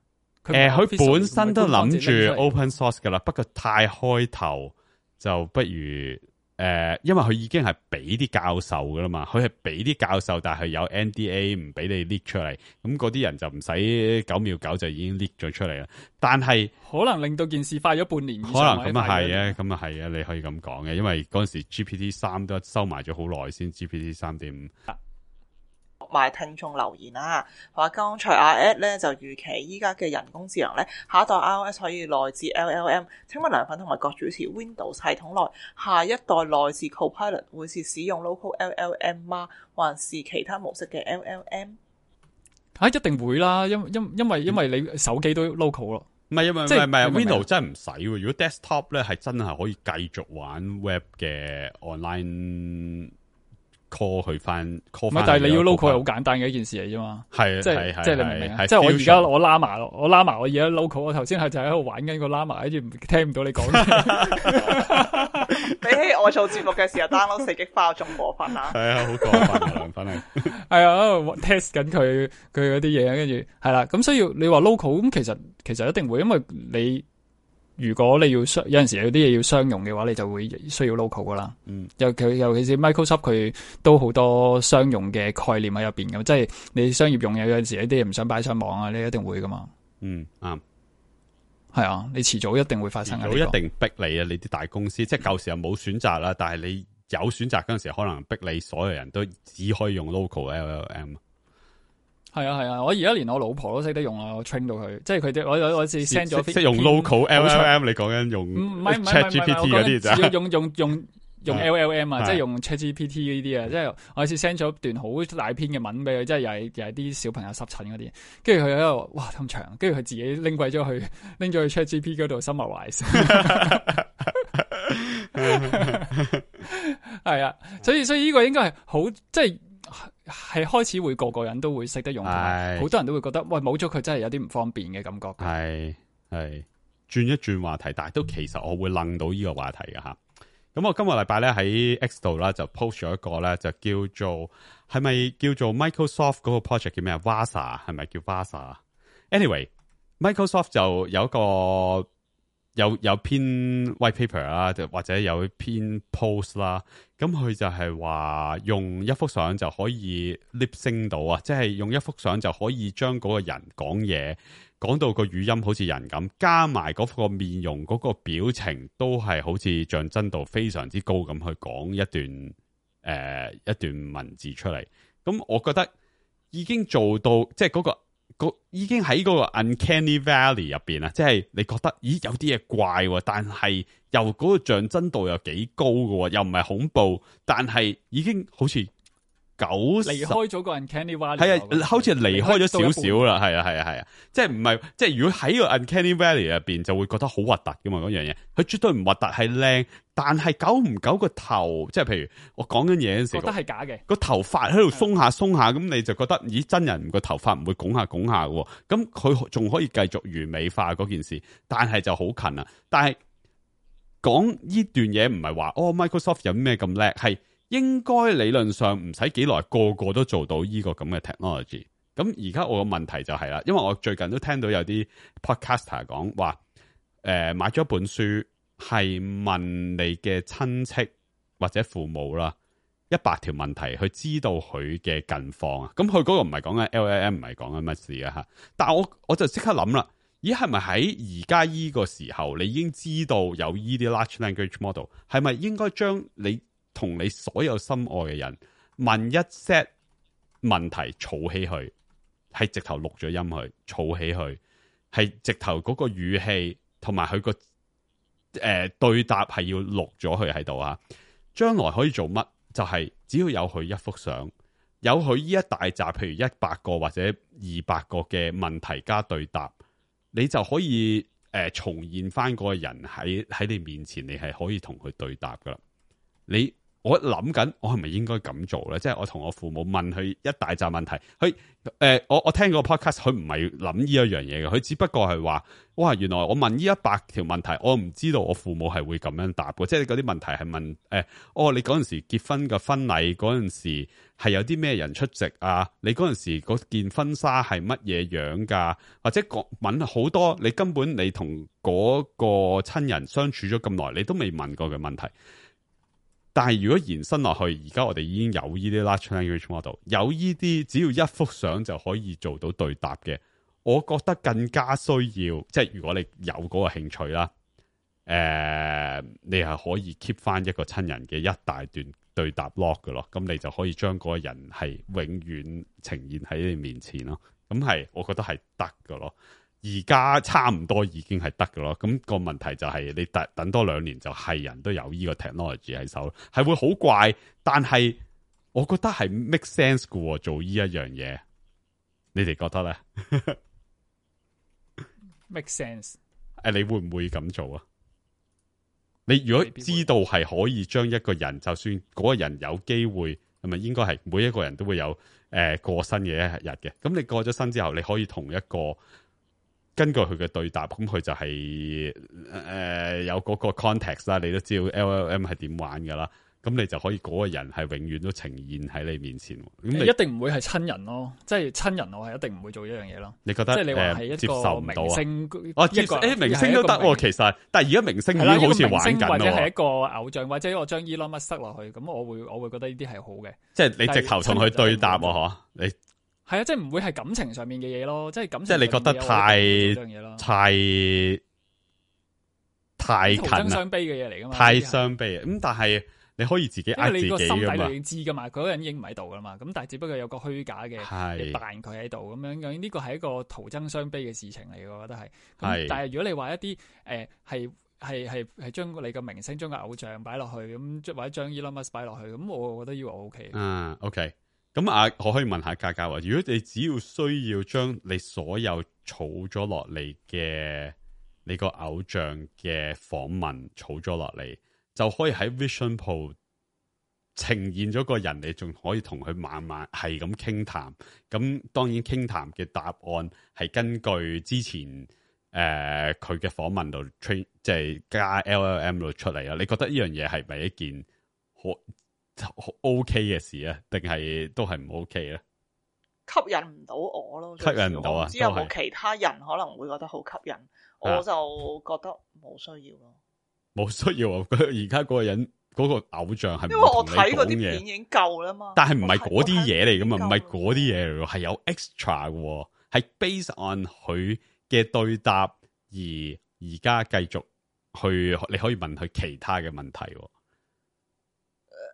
佢本身都諗住 open source 噶啦，不過太開頭。就不如因為佢已經係俾啲教授噶啦嘛，佢係俾啲教授，但係有 NDA 唔俾你 leak 出嚟，咁嗰啲人就唔使9秒9就已經 leak 咗出嚟啦。但係可能令到件事快咗半年以上，可能咁啊係啊，咁啊係啊，你可以咁講嘅，因為嗰陣時 GPT-3 都收埋咗好耐先 GPT-3.5。埋聽眾留言啦，話剛才阿 Ed 咧就預期依家嘅人工智能咧，下一代 iOS 可以內置 LLM。請問梁粉同埋各主持 Windows 系統內下一代內置 Copilot 會是使用 local LLM 嗎？還是其他模式嘅 LLM？一定會啦，因為你手機都 local 咯。唔係唔係 Windows 真係唔使喎。如果 desktop 咧係真係可以繼續玩 web 嘅 online。call 佢翻 call 翻，但係你要 local 係好簡單嘅一件事嚟啫嘛。係即係你明唔明啊？即係我而家我 Llama 我而家 local， 我頭先係就喺度玩緊個 Llama， 跟住聽唔到你講。比起我做節目嘅時候 download 4GB file 仲過分啊！係啊，好過分啊，梁粉係。係啊 ，test 緊佢嗰啲嘢，跟住係啦。咁所以你話 local 咁，其實一定會，因為你。如果你要有陣時有啲嘢要商用嘅話，你就會需要 local 噶啦。尤其是 Microsoft 佢都好多商用嘅概念喺入邊嘅，即係你商業用有陣時有啲嘢唔想擺上網啊，你一定會噶嘛。啱。係啊，你遲早一定會發生嘅。一定逼你啊！你啲大公司即係舊時又冇選擇啦，但係你有選擇嗰陣時，可能逼你所有人都只可以用 local LLM。係啊，我而家連我老婆都識得用啦，我 train 到佢，即係佢哋我次 send 咗，識用 local LLM， 你講緊用 ChatGPT 嗰啲咋？用 LLM 啊，即係用 ChatGPT 呢啲啊，即係我有次 send 咗段好大篇嘅文俾佢，即係又係啲小朋友濕疹嗰啲，跟住佢喺度哇咁長，跟住佢自己拎咗去 ChatGPT 嗰度 summarize， 係啊，所以呢個應該係好即係開始會個人都會識得用，好多人都會覺得喂冇咗佢真係有啲唔方便嘅感覺。係轉一轉話題，但係都其實我會楞到呢個話題嘅吓。咁我今個禮拜咧喺 X 度啦就 post 咗一個咧就叫做係咪叫做 Microsoft 嗰個 project 叫咩啊 Vasa 係咪叫 Vasa？Anyway，Microsoft 就有一個有篇 white paper 啦，或者有篇 post 啦。咁佢就係話用一幅相就可以 lip sync 到啊，即係用一幅相就可以將嗰個人講嘢講到個語音好似人咁，加埋嗰個面容嗰個表情都係好似像真度非常之高咁去講一段文字出嚟。咁我覺得已經做到即係嗰個已經喺嗰個 uncanny valley 入邊啊，即係你覺得咦有啲嘢怪，但係又嗰個像真度又幾高嘅，又唔係恐怖，但係已經好似離開咗個 uncanny valley， 係啊，好似離開咗少少啦，係啊，即係唔係即係如果喺個 uncanny valley 入邊就會覺得好核突噶嘛，嗰樣嘢佢絕對唔核突，係靚，但係久唔久個頭，即係譬如我講緊嘢嗰陣時，覺得係假嘅，個頭髮喺度鬆下，咁你就覺得咦真人個頭髮唔會拱下嘅，咁佢仲可以繼續完美化嗰件事，但係就好近啊！但係講呢段嘢唔係話Microsoft 有咩咁叻，係。應該理論上唔使幾耐，個個都做到呢個咁嘅 technology。咁而家我個問題就係啦，因為我最近都聽到有啲 podcaster 講話，買咗本書係問你嘅親戚或者父母啦，100條問題去知道佢嘅近況啊。咁佢嗰個唔係講緊 LLM， 唔係講緊乜事啊吓。但係我就即刻諗啦，咦係咪喺而家呢個時候，你已經知道有呢啲 large language model， 係咪應該將你同你所有心愛嘅人問一 set 問題，儲起佢，係直頭錄咗音去，儲起佢，係直頭嗰個語氣同埋佢個對答係要錄咗佢喺度啊！將來可以做乜？就係只要有佢一幅相，有佢呢一大集，譬如100個或者200個嘅問題加對答，你就可以重現翻嗰個人喺你面前，你係可以同佢對答噶啦。我諗緊，我係咪應該咁做咧？即係我同我父母問佢一大紮問題，佢我聽個 podcast， 佢唔係諗呢一樣嘢嘅，佢只不過係話，哇，原來我問呢100條問題，我唔知道我父母係會咁樣答嘅，即係嗰啲問題係問你嗰陣時結婚嘅婚禮嗰陣時係有啲咩人出席啊？你嗰陣時嗰件婚紗係乜嘢樣噶？或者問好多你根本你同嗰個親人相處咗咁耐，你都未問過嘅問題。但係如果延伸落去，而家我哋已經有呢啲 large language model， 有呢啲只要一幅相就可以做到對答嘅，我覺得更加需要，即係如果你有嗰個興趣啦，你係可以 keep 翻一個親人嘅一大段對答 log 嘅咯，咁你就可以將嗰個人係永遠呈現喺你面前咯，咁係我覺得係得嘅咯。而家差唔多已經係得嘅咯，咁個問題就係你等多2年就係人都有呢個 technology 喺手，係會好怪，但係我覺得係 make sense 嘅做呢一樣嘢，你哋覺得咧？make sense？ 你會唔會咁做啊？你如果知道係可以將一個人，就算嗰個人有機會，係咪應該係每一個人都會有過身嘅一日嘅？咁你過咗身之後，你可以同一個。根據佢嘅對答，咁佢就係有嗰個 context 啦，你都知道 LLM 係點玩噶啦，咁你就可以嗰個人係永遠都呈現喺你面前。咁你一定唔會係親人咯，即係親人我係一定唔會做一樣嘢咯。你覺得即係你話係一個接受唔到明星？明星都得，其實，但係而家明星已經好似玩緊或者係一個偶像，或者我將 Elon Musk 塞落去，咁我會覺得呢啲係好嘅。即係你直頭同佢對答喎，你係啊，即係唔會係感情上面嘅嘢咯，即係感情。即係你覺得太近啦，徒增傷悲嘅嘢嚟噶嘛？太傷悲咁，但係你可以自己呃自己噶嘛？因為你個心底裏已經知噶嘛，嗰個人已經唔喺度噶嘛。咁但係只不過有個虛假嘅扮佢喺度咁樣，呢個係一個徒增傷悲嘅事情嚟，我覺得係。咁但係如果你話一啲係係將你個明星將個偶像擺落去咁，或者將 Elon Musk 擺落去咁，我覺得呢個 OK。OK。咁我可以問下嘉嘉話，如果你只要需要將你所有儲咗落嚟嘅你個偶像嘅訪問儲咗落嚟，就可以喺 Vision Pro 呈現咗個人，你仲可以同佢慢慢係咁傾談。咁當然傾談嘅答案係根據之前佢嘅訪問度 train， 即係加 LLM 度出嚟啦。你覺得呢樣嘢係咪一件好 OK 嘅事啊？定係都係唔 OK 咧？吸引唔到我咯，吸引唔到啊！唔知有冇其他人可能會覺得好吸引，我就覺得冇需要咯。冇需要啊！而家嗰個人嗰個偶像係，因為我睇嗰啲片已經夠啦嘛。但係唔係嗰啲嘢嚟噶嘛，唔係嗰啲嘢嚟，係有 extra 嘅，係 based on 佢嘅對答而家繼續去，你可以問佢其他嘅問題。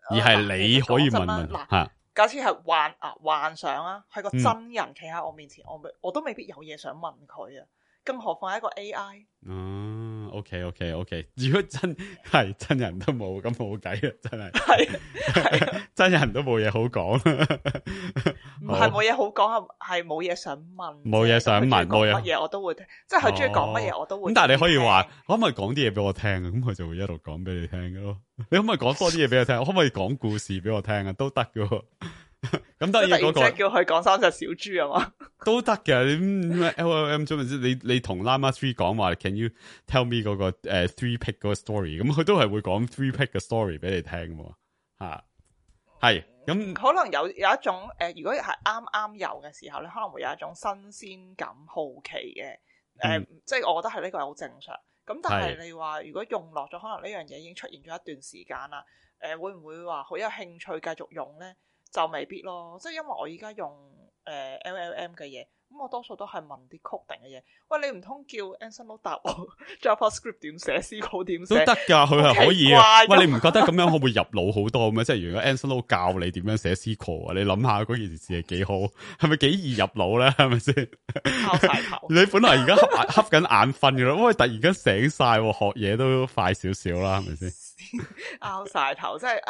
而係你可以問吓，假設係幻想啊，係個真人企喺我面前，我都未必有嘢想問佢啊，更何況係一個 AI。OK。如果真人都冇，咁冇計啊，真係。係真人都冇嘢好講，唔係冇嘢好講，係冇嘢想問。冇嘢想問，冇乜嘢我都會聽，即係佢中意講乜嘢我都會。咁但係你可以話，可唔可以講啲嘢俾我聽啊？咁佢就會一路講俾你聽嘅咯。你可唔可以講多啲嘢俾我聽？可唔可以講故事俾我聽啊？都得嘅。咁當然嗰個叫佢講三隻小豬啊嘛，都得嘅。你 LLM 啫，你同 Llama 3講話 ，Can you tell me 嗰個3 pick 嗰個 story？ 咁佢都係會講3 pick 嘅 story 俾你聽喎。吓，係咁可能有一種如果係啱有嘅時候咧，可能會有一種新鮮感、好奇嘅即係我覺得係呢個係好正常。咁但係你話如果用落咗，可能呢樣嘢已經出現咗一段時間啦。會唔會話好有興趣繼續用咧？就未必咯，即係因為我而家用LLM 嘅嘢，咁我多數都係問啲 coding 嘅嘢。喂，你唔通叫 Anson 答我 JavaScript 點寫 C 曲點寫都得噶，佢係可以啊。喂，你唔覺得咁樣會唔會入腦好多咩？即係如果 Anson 教你點樣寫 C 曲啊，你諗下嗰件事係幾好，係咪幾易入腦咧？係咪先？拗晒頭，你本來而家瞌緊眼瞓噶啦，喂，突然間醒晒，學嘢都快少少啦，係咪先？拗晒頭，即係呢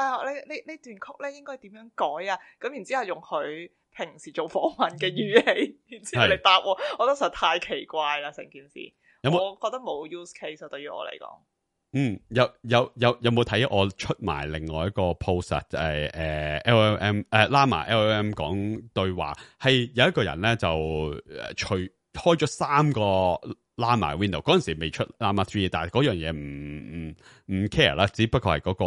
段曲咧應該點樣改啊？咁然之後用佢平時做訪問嘅語氣，然之後你答我，我覺得實在太奇怪啦，成件事。我覺得冇 use case 啊，對於我嚟講。有冇睇我出埋另外一個 post 啊？就係LLM Llama LLM 講對話，係有一個人咧就開咗3個 Llama window， 嗰陣時未出 Llama 3，但係嗰樣嘢唔 care 啦，只不過係嗰個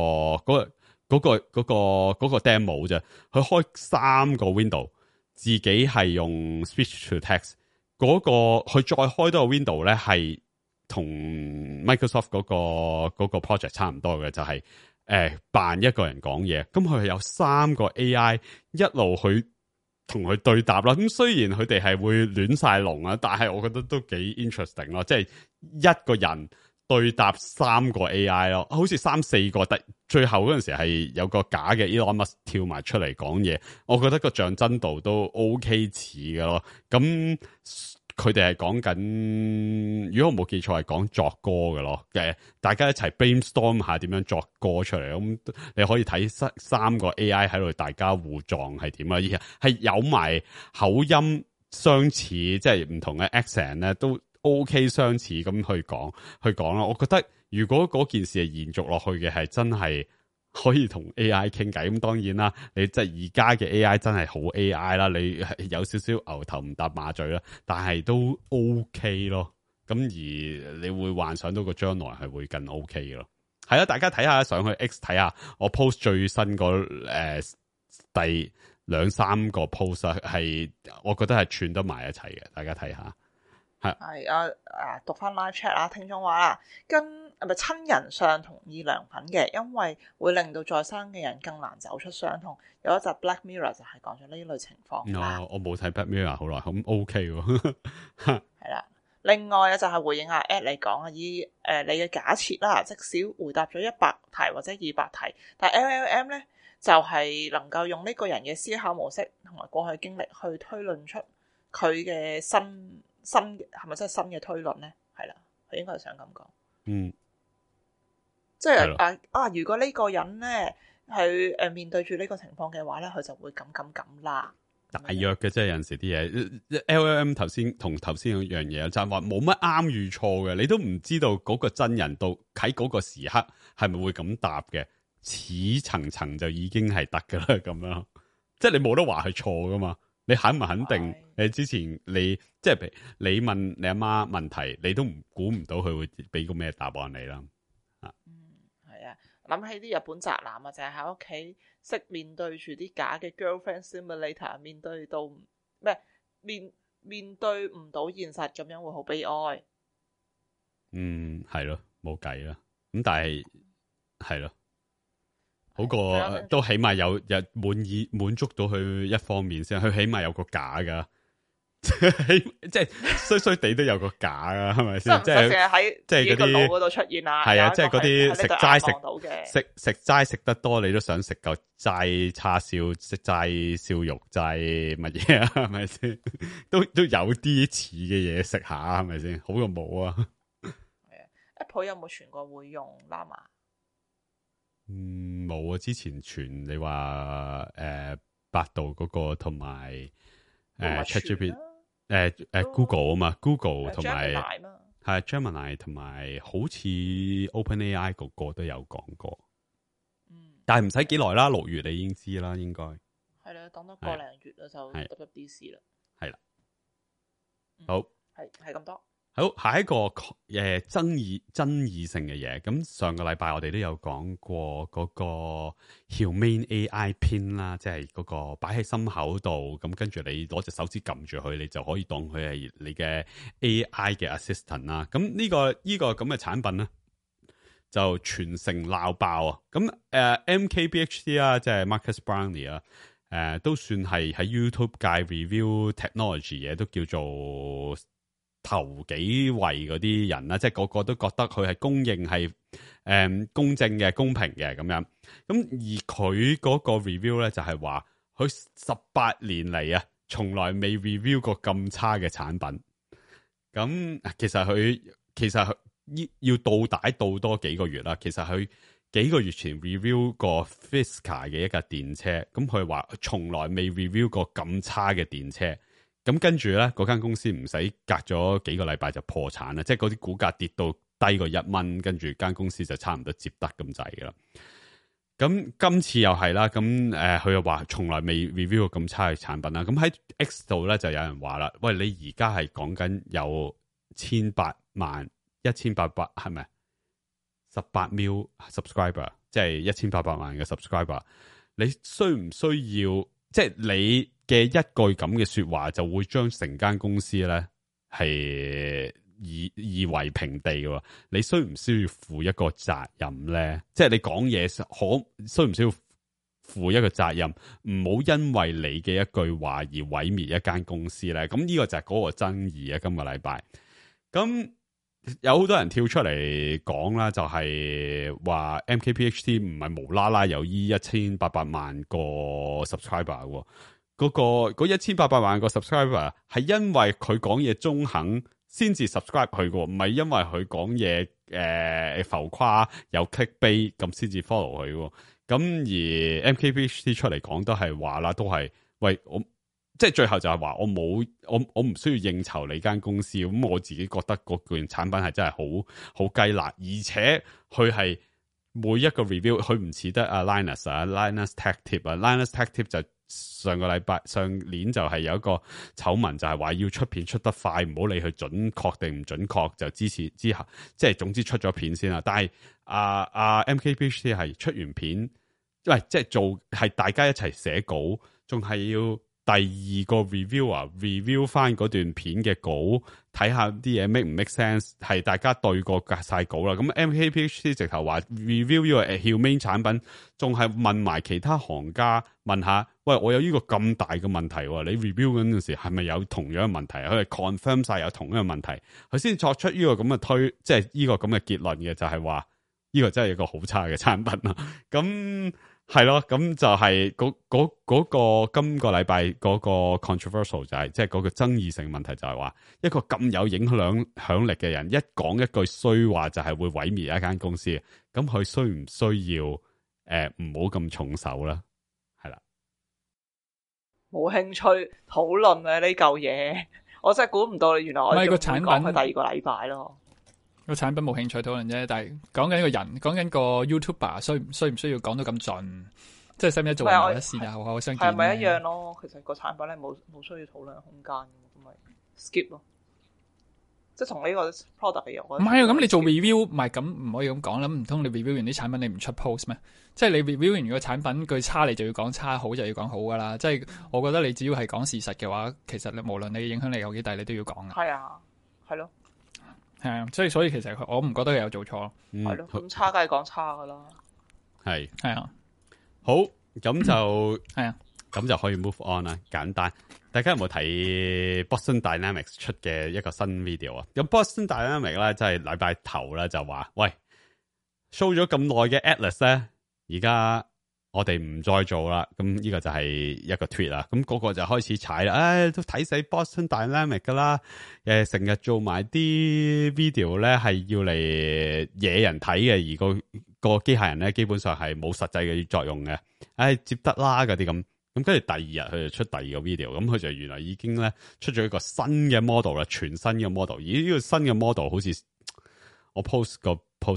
demo 啫。佢開3個 window， 自己係用 speech to text， 佢再開多個 window 咧係同 Microsoft 嗰個 project 差唔多嘅，就係扮一個人講嘢。咁佢係有3個 AI 一路去同佢對答啦。咁雖然佢哋係會亂晒龍啊，但係我覺得都幾 interesting 咯。即係一個人對答3個 AI 咯，好似3、4個，最後嗰陣時係有個假嘅 Elon Musk 跳埋出嚟講嘢。我覺得個像真度都 OK 似嘅咯。咁佢哋係講緊，如果我冇記錯係講作歌嘅咯。大家一齊 brainstorm 下點樣作歌出嚟。咁你可以睇3個 AI 喺度大家互撞係點啊？而係有埋口音相似，即係唔同嘅 accent 咧都 OK 相似咁去講啦。我覺得如果嗰件事係延續落去嘅，係真係可以同 AI 傾偈。咁當然啦，你即係而家嘅 AI 真係好 AI 啦，你有少少牛頭唔搭馬嘴啦，但係都 OK 咯。咁而你會幻想到個將來係會更 OK 嘅咯。係啦，大家睇下，上去 X 睇下我 post 最新個第2-3個 post 係，我覺得係串得埋一齊嘅，大家睇下。係讀翻 live chat 啊，聽眾話啦，跟咪親人上同意良品嘅，因為會令到在生嘅人更難走出傷痛。有一集 Black Mirror 就係講咗呢類情況。我冇睇 Black Mirror 好耐，咁 OK 喎。係啦，另外就係回應下 Ed 嚟講啊，以你嘅假設啦，即使回答咗100題或者200題，但 LLM 咧就係能夠用呢個人嘅思考模式同埋過去經歷去推論出佢嘅新係咪真係新嘅推論咧？係啦，佢應該係想咁講。即係如果呢個人咧係面對住呢個情況嘅話咧，佢就會咁啦。大約嘅啫，有陣時啲嘢 LLM 頭先同頭先嗰樣嘢就係話冇乜啱與錯嘅，你都唔知道嗰個真人到喺嗰個時刻係咪會咁答嘅，似層就已經係得噶啦咁樣，即係你冇得話係錯噶嘛，你肯唔肯定？你之前你即係譬如你問你阿媽問題，你都估唔到佢會俾個咩答案你啦。係啊，諗起啲日本宅男啊，就係喺屋企識面對住啲假嘅 girlfriend simulator， 面對到面對唔到現實，咁樣會好悲哀。係咯，冇計啦。咁但係係咯，好過都起碼有滿足到佢一方面先，佢起碼有個假噶。即係衰地都有個假啊，係咪先？即係喺即係嗰啲腦嗰度出現啊。係啊，即係嗰啲食齋食得多，你都想食嚿齋叉燒、食齋燒肉、齋乜嘢啊？係咪先？都有啲似嘅嘢食下，係咪先？好過冇啊。係啊 ，Apple 有冇傳過會用 Llama？冇啊。之前傳你話百度嗰個同埋ChatGPT。Google 啊嘛 ，Google 同埋係 Gemini 同埋好似 OpenAI 嗰個都有講過，但係唔使幾耐啦，6月你已經知啦，應該係啦，等多個零月啦就 WWDC 啦，係啦，好係咁多。好，下一個爭議性嘅嘢，咁上個禮拜我哋都有講過嗰個 Humane AI Pin 啦，即係嗰個擺喺心口度，咁跟住你攞隻手指撳住佢，你就可以當佢係你嘅 AI 嘅 assistant 啦。咁呢個咁嘅產品咧，就全城鬧爆啊！咁MKBHD 啊，即係 Marcus Brownlee 啊，都算係喺 YouTube 界 review technology 嘢，都叫做頭幾位嗰啲人啦，即係個個都覺得佢係公認係公正嘅、公平嘅咁樣。咁而佢嗰個 review 咧就係話，佢18年嚟啊，從來未 review 過咁差嘅產品。咁其實佢要倒帶倒多幾個月啦。其實佢幾個月前 review 過 Fisker 嘅一架電車，咁佢話從來未 review 過咁差嘅電車。咁跟住咧，嗰間公司唔使隔咗幾個禮拜就破產啦，即係嗰啲股價跌到低過1蚊，跟住間公司就差唔多接得咁滯噶啦。咁今次又係啦，咁佢又話從來未 review 過咁差嘅產品啦。咁喺 X 度咧就有人話啦，喂，你而家係講緊有1800係咪18 million subscriber， 即係1800萬嘅 subscriber， 你需唔需要即係你嘅一句咁嘅說話就會將成間公司咧係夷為平地嘅？你需唔需要負一個責任咧？即係你講嘢需唔需要負一個責任？唔好因為你嘅一句話而毀滅一間公司咧。咁呢個就係嗰個爭議啊！今個禮拜咁有好多人跳出嚟講啦，就係話 MKBHD 唔係無啦啦有1800萬個 subscriber。嗰1800萬個 subscriber 係因為佢講嘢中肯先至 subscribe 佢嘅，唔係因為佢講嘢浮誇有 clickbait 咁先至 follow 佢嘅。咁而 MKBHD 出嚟講都係話啦，都係喂我即係最後就係話我唔需要應酬你間公司，咁我自己覺得嗰件產品係真係好雞肋，而且佢係每一個 review 佢唔似得Linus Tech Tip Linus Tech Tip 就上年就係有一個醜聞，就係話要出片出得快，唔好理佢準確定唔準確，就之後即係總之出咗片先啦。但係MKBHD 係出完片，喂，即係係大家一齊寫稿，仲係要第二個 review 翻嗰段片嘅稿，睇下啲嘢 make 唔 make sense， 係大家對過隔晒稿啦。咁 MKBHD 直頭話 review 呢個 Humane 產品，仲係問埋其他行家問下，喂，我有呢個咁大嘅問題，你 review 嗰陣時係咪有同樣嘅問題？佢係 confirm 晒有同樣嘅問題，佢先作出呢個咁嘅即係呢個咁嘅結論嘅，就係話呢個真係一個好差嘅產品啦。咁係咯，咁就係嗰個今個禮拜嗰個 controversial 就係即係嗰個爭議性問題就係話一個咁有影響力嘅人一講一句衰話就係會毀滅一間公司，咁佢需唔需要唔好咁重手啦？係啦，冇興趣討論啊呢嚿嘢，我真係估唔到你原來我個產品講佢第二個禮拜咯。個產品冇興趣討論啫，但係講緊個人，講緊個 YouTuber 需唔需要講到咁盡，即係使唔使做人一線啊？好相見係咪一樣咯？其實個產品咧冇需要討論空間，咁咪 skip 咯。即係同呢個 product 嘅嘢，唔係啊！咁你做 review 唔係咁唔可以咁講啦，唔通你 review 完啲產品你唔出 post 咩？即係你 review 完個產品句差，你就要講差，好就要講好噶啦。即係我覺得你只要係講事實嘅話，其實你無論你影響力有幾大，你都要講嘅。係啊，係咯。係啊，所以其實我唔覺得佢有做錯咯。係咯，咁差梗係講差噶啦。係啊，好，咁就係啊，咁就可以 move on 啦。簡單，大家有冇睇 Boston Dynamics 出嘅一個新 video 啊？咁 Boston Dynamics 咧，即係禮拜頭咧就話，喂 show 咗咁耐嘅 Atlas 咧，而家我哋唔再做啦，咁呢個就係一個 tweet 啦，咁個就開始踩啦，都睇死 Boston Dynamics 噶啦，成日做埋啲 video 咧係要嚟惹人睇嘅，而個機械人咧基本上係冇實際嘅作用嘅，接得啦嗰啲咁跟住第二日佢就出第二個 video，咁佢就原來已經咧出咗一個新嘅 model 啦，全新嘅 model，而呢個新嘅 model 好似我 post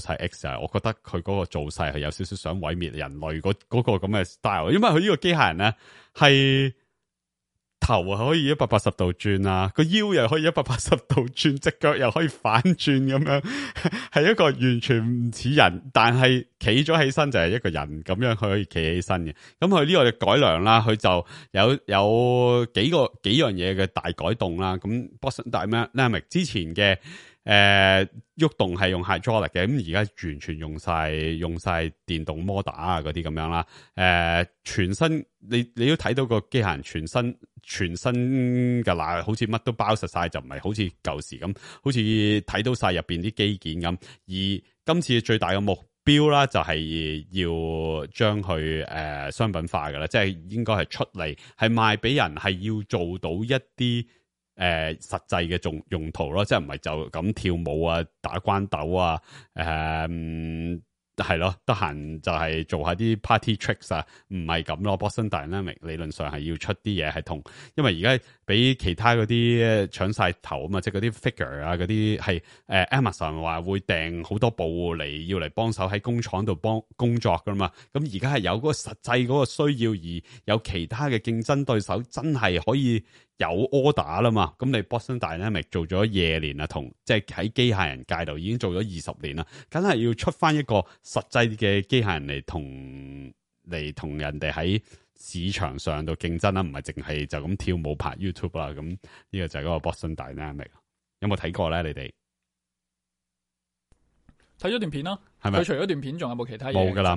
喺 X 啊，我覺得佢嗰個造勢係有少少想毀滅人類嗰個咁嘅 style，因為佢呢個機械人咧係頭可以180度轉啊，個腰又可以180度轉，隻腳又可以反轉咁樣，係一個完全唔似人，但係企咗起身就係一個人咁樣，佢可以企起身嘅。咁佢呢個嘅改良啦，佢就有幾樣嘢嘅大改動啦。咁 Boston Dynamics 之前嘅喐動係用 hydraulic 嘅，咁而家完全用晒電動摩打啊嗰啲咁樣啦。全身你都睇到個機械人全身嘅啦，好似乜都包實晒，就唔係好似舊時咁，好似睇到晒入邊啲機件咁。而今次最大嘅目標啦，就係要將佢商品化㗎啦，即係應該係出嚟係賣俾人，係要做到一啲實際嘅用途咯，即係唔係就咁跳舞啊、打關斗啊，係咯，得閒就係做下啲 party tricks 啊，唔係咁咯。Boston Dynamics 理論上係要出啲嘢係同，因為而家俾其他嗰啲搶晒頭啊嘛，即係嗰啲 figure 啊嗰啲係Amazon 話會訂好多部要嚟幫手喺工廠度工作噶嘛，咁而家係有嗰個實際嗰個需要，而有其他嘅競爭對手真係可以有 order 啦嘛，咁你 Boston Dynamics 做咗夜年啊，即係喺機械人界度已經做咗20年啦，梗係要出翻一個實際嘅機械人嚟同人哋喺市場上度競爭啦，唔係淨係就咁跳舞拍 YouTube 啦，咁呢個就係嗰個 Boston Dynamics， 有冇睇過咧？你哋睇咗段片咯，係咪？佢除咗段片，仲有冇其他嘢？冇噶啦，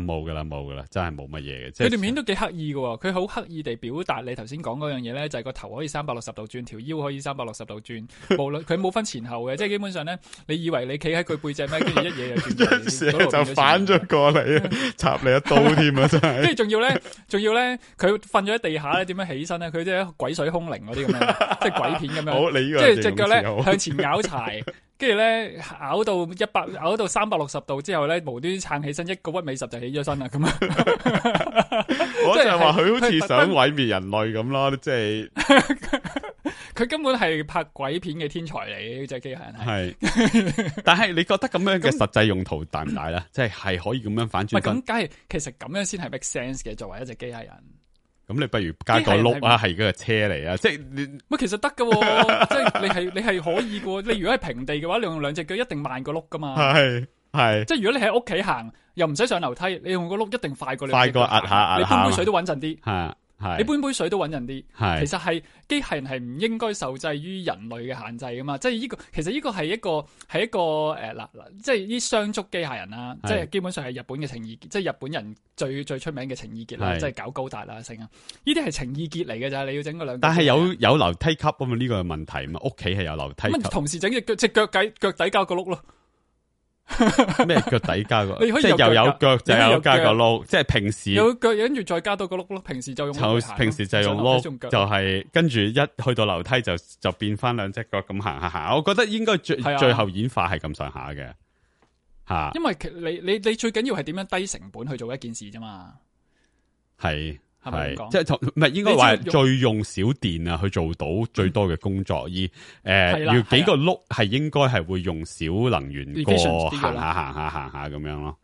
真係冇乜嘢嘅。佢段片都幾刻意嘅，佢好刻意地表達你頭先講嗰樣嘢咧，就係個頭可以360度轉，條腰可以360度轉，無論佢冇分前後嘅，即係基本上咧，你以為你企喺佢背脊咩，跟住一嘢就轉，就反咗過嚟，插你一刀添啊！真係。跟住仲要咧，佢瞓咗喺地下咧，點樣起身咧？佢即係鬼水空靈嗰啲咁樣，即係鬼片咁樣。好，你呢個即係隻腳咧向前咬柴。跟住咧咬到360度之後咧，無端撐起身，一個屈尾十就起咗身啦，咁樣。我就係話佢好似想毀滅人類咁咯，即係佢根本係拍鬼片嘅天才嚟，呢隻機械人係。但係你覺得咁樣嘅實際用途大唔大咧？即係可以咁樣反轉？咁，梗係其實咁樣先係 make sense 嘅，作為一隻機械人。咁你不如加個轆啊，係嗰個車嚟啊！即係你，其實得噶，即係你係可以噶。你如果係平地嘅話，你用兩隻腳一定慢過轆噶嘛。係，即係如果你喺屋企行，又唔使上樓梯，你用個轆一定快過你。快過壓下，你搬杯水都穩陣啲。係。你搬杯水都穩陣啲，其實係機械人係唔應該受制於人類嘅限制噶嘛，即係呢個其實呢個係一個即係啲雙足機械人啦，即係基本上係日本嘅情意結，即係日本人最出名嘅情意結啦，即係搞高達啦成啊，呢啲係情意結嚟嘅咋，你要整個兩。但係有樓梯級啊嘛，呢個係問題嘛，屋企係有樓梯級。同時整隻腳底交個轆咯。咩腳底加個，你可以即係又有腳就有加個腳碌，即係平時有腳，跟住再加多個碌咯。平時就用碌嚟行咯平時就用碌，就係跟住一去到樓梯就變翻兩隻腳咁行下。我覺得應該最後演化係咁上下嘅吓。因為你最緊要係點樣低成本去做一件事啫嘛。係係即係唔係應該話最用少電啊去做到最多嘅工作，要幾個碌係應該係會用少能源過行下咁樣咯。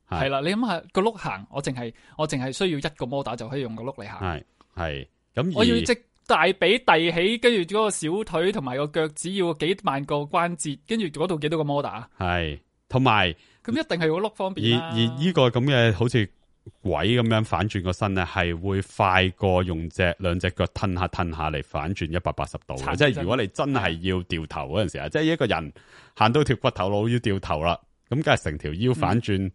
係啦，你諗下個碌行，我淨係需要一個摩打就可以用個碌嚟行。係咁，我要隻大髀遞起，跟住嗰個小腿同埋個腳趾要幾萬個關節，跟住嗰度幾多個摩打。係同埋咁一定係個碌方便啦。而呢個咁嘅好似鬼咁樣反轉個身咧，係會快過用兩隻腳褪下嚟反轉180度嘅。即係如果你真係要掉頭嗰陣時啊，即係一個人行到條骨頭路要掉頭啦，咁梗係成條腰反轉，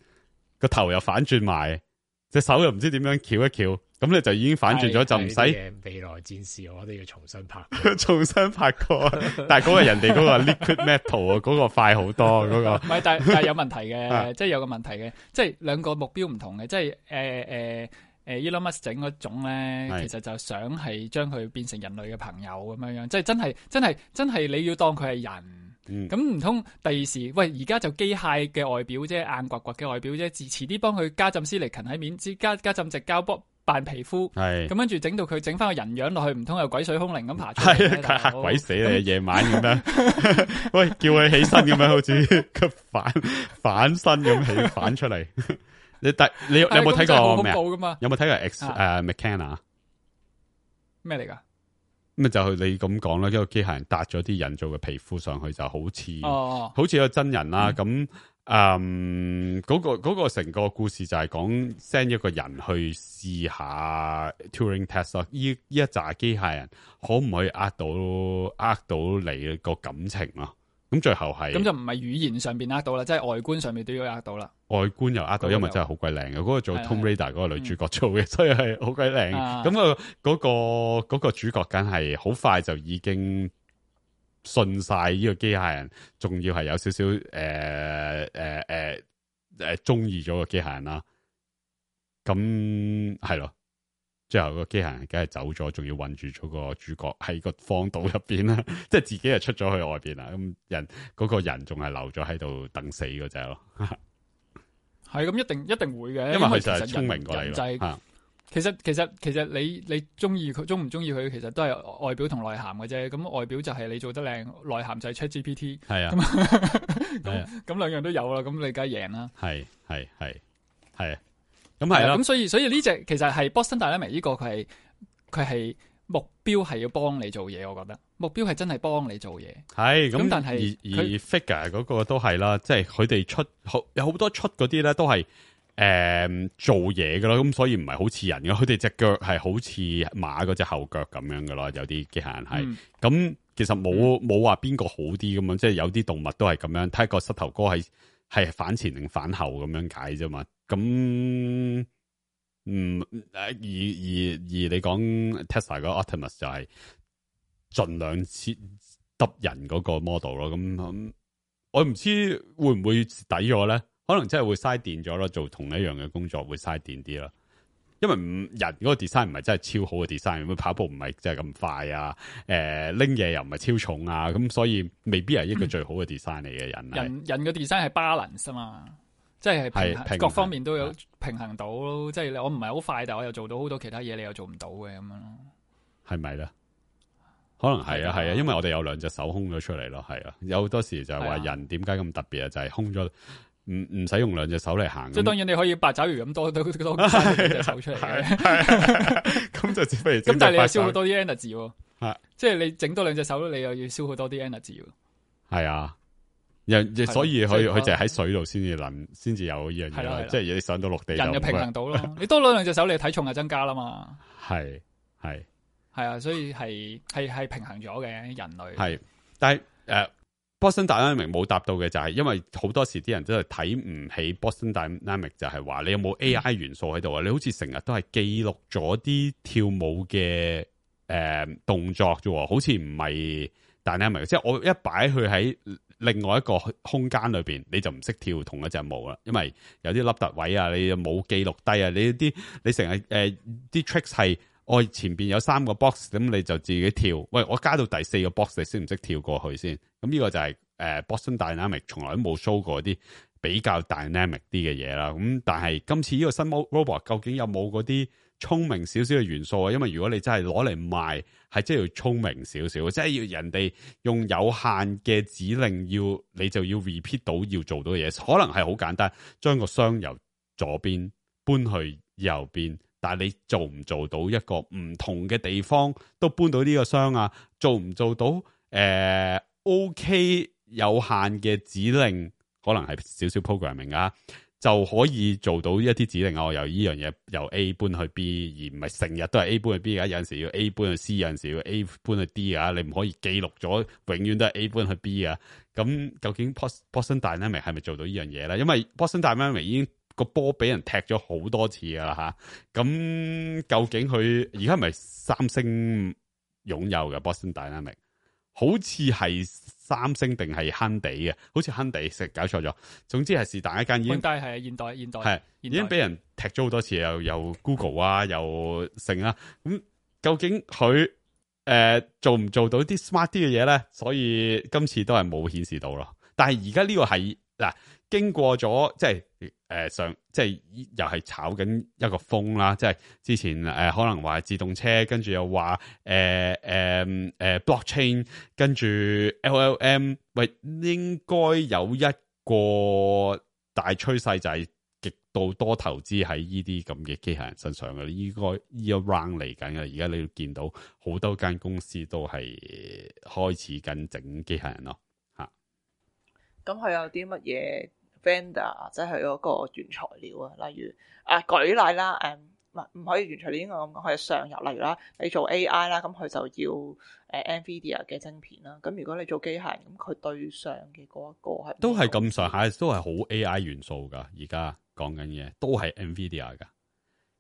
個頭又反轉埋，隻手又唔知點樣翹一翹，咁你就已經反轉咗，就唔使未來戰士，我都要重新拍重新拍過。但係嗰個人哋嗰個 liquid metal 啊，嗰個快好多，嗰個唔係，但係有問題嘅，即係有個問題嘅，即係兩個目標唔同嘅，即係Elon Musk 整嗰種咧，其實就想係將佢變成人類嘅朋友咁樣樣，即係真係你要當佢係人，咁唔通第二時喂而家就機械嘅外表啫，硬刮刮嘅外表啫，遲啲幫佢加浸斯力勤喺面，加浸直膠波扮皮膚，咁跟住整到佢整翻個人樣落去，唔通又鬼水空靈咁爬出嚟？係嚇鬼死你！夜晚咁樣，喂，叫佢起身咁樣，好似個反身咁起反出嚟。你有冇睇過咩？有冇睇過 Ex Machina 咩嚟噶？咁就你咁講啦，一個機械人搭咗啲人造嘅皮膚上去，就好似好似個真人啦。咁嗰個成個故事就係講 send 一個人去試下 Turing test 咯。呢一紮機械人可唔可以呃到你個感情咯？咁最後係咁就唔係語言上邊呃到啦，即係外觀上面都要呃到啦。外觀又呃到，因為真係好鬼靚嘅。嗰個做 Tomb Raider 嗰個女主角做嘅，所以係好鬼靚。咁嗰個主角梗係好快就已經信晒呢個機械人，仲要係有少少中意咗個機械人啦。咁係咯。最後個機械人梗係走咗，仲要困住咗個主角喺個荒島入邊啦，即係自己係出咗去外邊啦。咁嗰個人仲係留咗喺度等死嗰隻咯。係咁，一定會嘅，因為佢就係聰明過你咯。其實你中意佢，中唔中意佢，其實都係外表同內涵嘅啫。咁外表就係你做得靚，內涵就係 ChatGPT。係啊，咁兩樣都有啦，咁你梗係贏啦。係。咁係啦，咁所以呢隻其實係 Boston Dynamics 呢個佢係目標係要幫你做嘢，我覺得目標係真係幫你做嘢。係咁，但係而 figure 嗰個都係啦，即係佢哋有好多出嗰啲咧都係做嘢噶咯，咁所以唔係好似人嘅，佢哋隻腳係好似馬嗰隻後腳咁樣噶咯，有啲機械人係。咁其實冇話邊個好啲咁樣，即係有啲動物都係咁樣，睇個膝頭哥係反前定反後咁樣解啫嘛。咁而你講 Tesla 個 Optimus 就係盡量揼人嗰個 model 咯。咁我唔知會唔會抵咗咧？可能真係會嘥電咗咯，做同一樣嘅工作會嘥電啲啦。因為人嗰個 design 唔係真係超好嘅 design，咁跑步唔係真係咁快啊，拎嘢又唔係超重啊，咁所以未必係一個最好嘅 design 嚟嘅人。人嘅 design 係 balance 啊嘛，即係各方面都有平衡到咯。即係我唔係好快，但我又做到好多其他嘢，你又做唔到嘅咁樣咯。係咪咧？可能係啊，因為我哋有兩隻手空咗出嚟咯，係啊，有好多時就係話人點解咁特別啊，就係空咗。唔使用兩隻手嚟行，即係當然你可以八爪魚咁多兩隻手出嚟嘅，咁就只不如咁，但係你又消耗多啲 energy 喎，即係你整多兩隻手，你又要消耗多啲 energy 喎。係啊，所以佢就喺水度先至有呢樣嘢，即係你上到陸地，人就平衡到咯。你多兩隻手，你體重就增加啦嘛。係啊，所以係平衡咗嘅人類。係，但係Boston Dynamics 冇答到嘅就係，因為好多時啲人真係睇唔起 Boston Dynamics，就係話你有冇 AI 元素喺度啊？你好似成日都係記錄咗啲跳舞嘅動作啫，好似唔係 Dynamics。即係我一擺佢喺另外一個空間裏邊，你就唔識跳同一隻舞啦，因為有啲凹凸位啊，你又冇記錄低啊，你成日啲 tricks 係我前邊有3個 box， 咁你就自己跳。喂，我加到第4個 box， 你識唔識跳過去先？咁呢個就係Boston Dynamics 從來都冇 show 過啲比較 dynamic 啲嘅嘢啦。咁但係今次呢個新 robot 究竟有冇嗰啲聰明少少嘅元素啊？因為如果你真係攞嚟賣，係真係要聰明少少，即係要人哋用有限嘅指令你就要 repeat 到要做到嘅嘢，可能係好簡單，將個箱由左邊搬去右邊，但係你做唔做到一個唔同嘅地方都搬到呢個箱啊？做唔做到OK 有限嘅指令，可能係少少 programming 啊，就可以做到一啲指令啊。我由呢樣嘢由 A 搬去 B， 而唔係成日都係 A 搬去 B 㗎。有陣時要 A 搬去 C， 有陣時要 A 搬去 D 啊。你唔可以記錄咗永遠都係 A 搬去 B 啊。咁究竟 Boston Dynamics 係咪做到呢樣嘢咧？因為 Boston Dynamics 已經個波俾人踢咗好多次㗎啦吓。咁究竟佢而家係咪三星擁有嘅 Boston Dynamics？好似係三星定係亨地嘅，好似亨地食搞錯咗。總之係是但一間已經，但係現代係已經俾人踢咗好多次，又 Google 啊，又成啦。咁究竟佢做唔做到啲 smart 啲嘅嘢咧？所以今次都係冇顯示到咯。但係而家呢個係嗱，經過咗即係即係又係炒緊一個風啦，即係之前可能話自動車，跟住又話blockchain， 跟住 LLM， 喂，應該有一個大趨勢就係極度多投資喺呢啲咁嘅機械人身上嘅，應該呢一 round 嚟緊嘅。而家你見到好多間公司都係開始緊整機械人咯，吓。咁佢有啲乜嘢 vendor 即係嗰個原材料啊？例如舉例啦，唔可以原材料應該咁講，佢係上游。例如啦，你做 AI 啦，咁佢就要NVIDIA 嘅晶片啦。咁如果你做機械人，咁佢對上嘅嗰一個係都係咁上下，都係好 AI 元素噶。而家講緊嘢都係 NVIDIA 噶。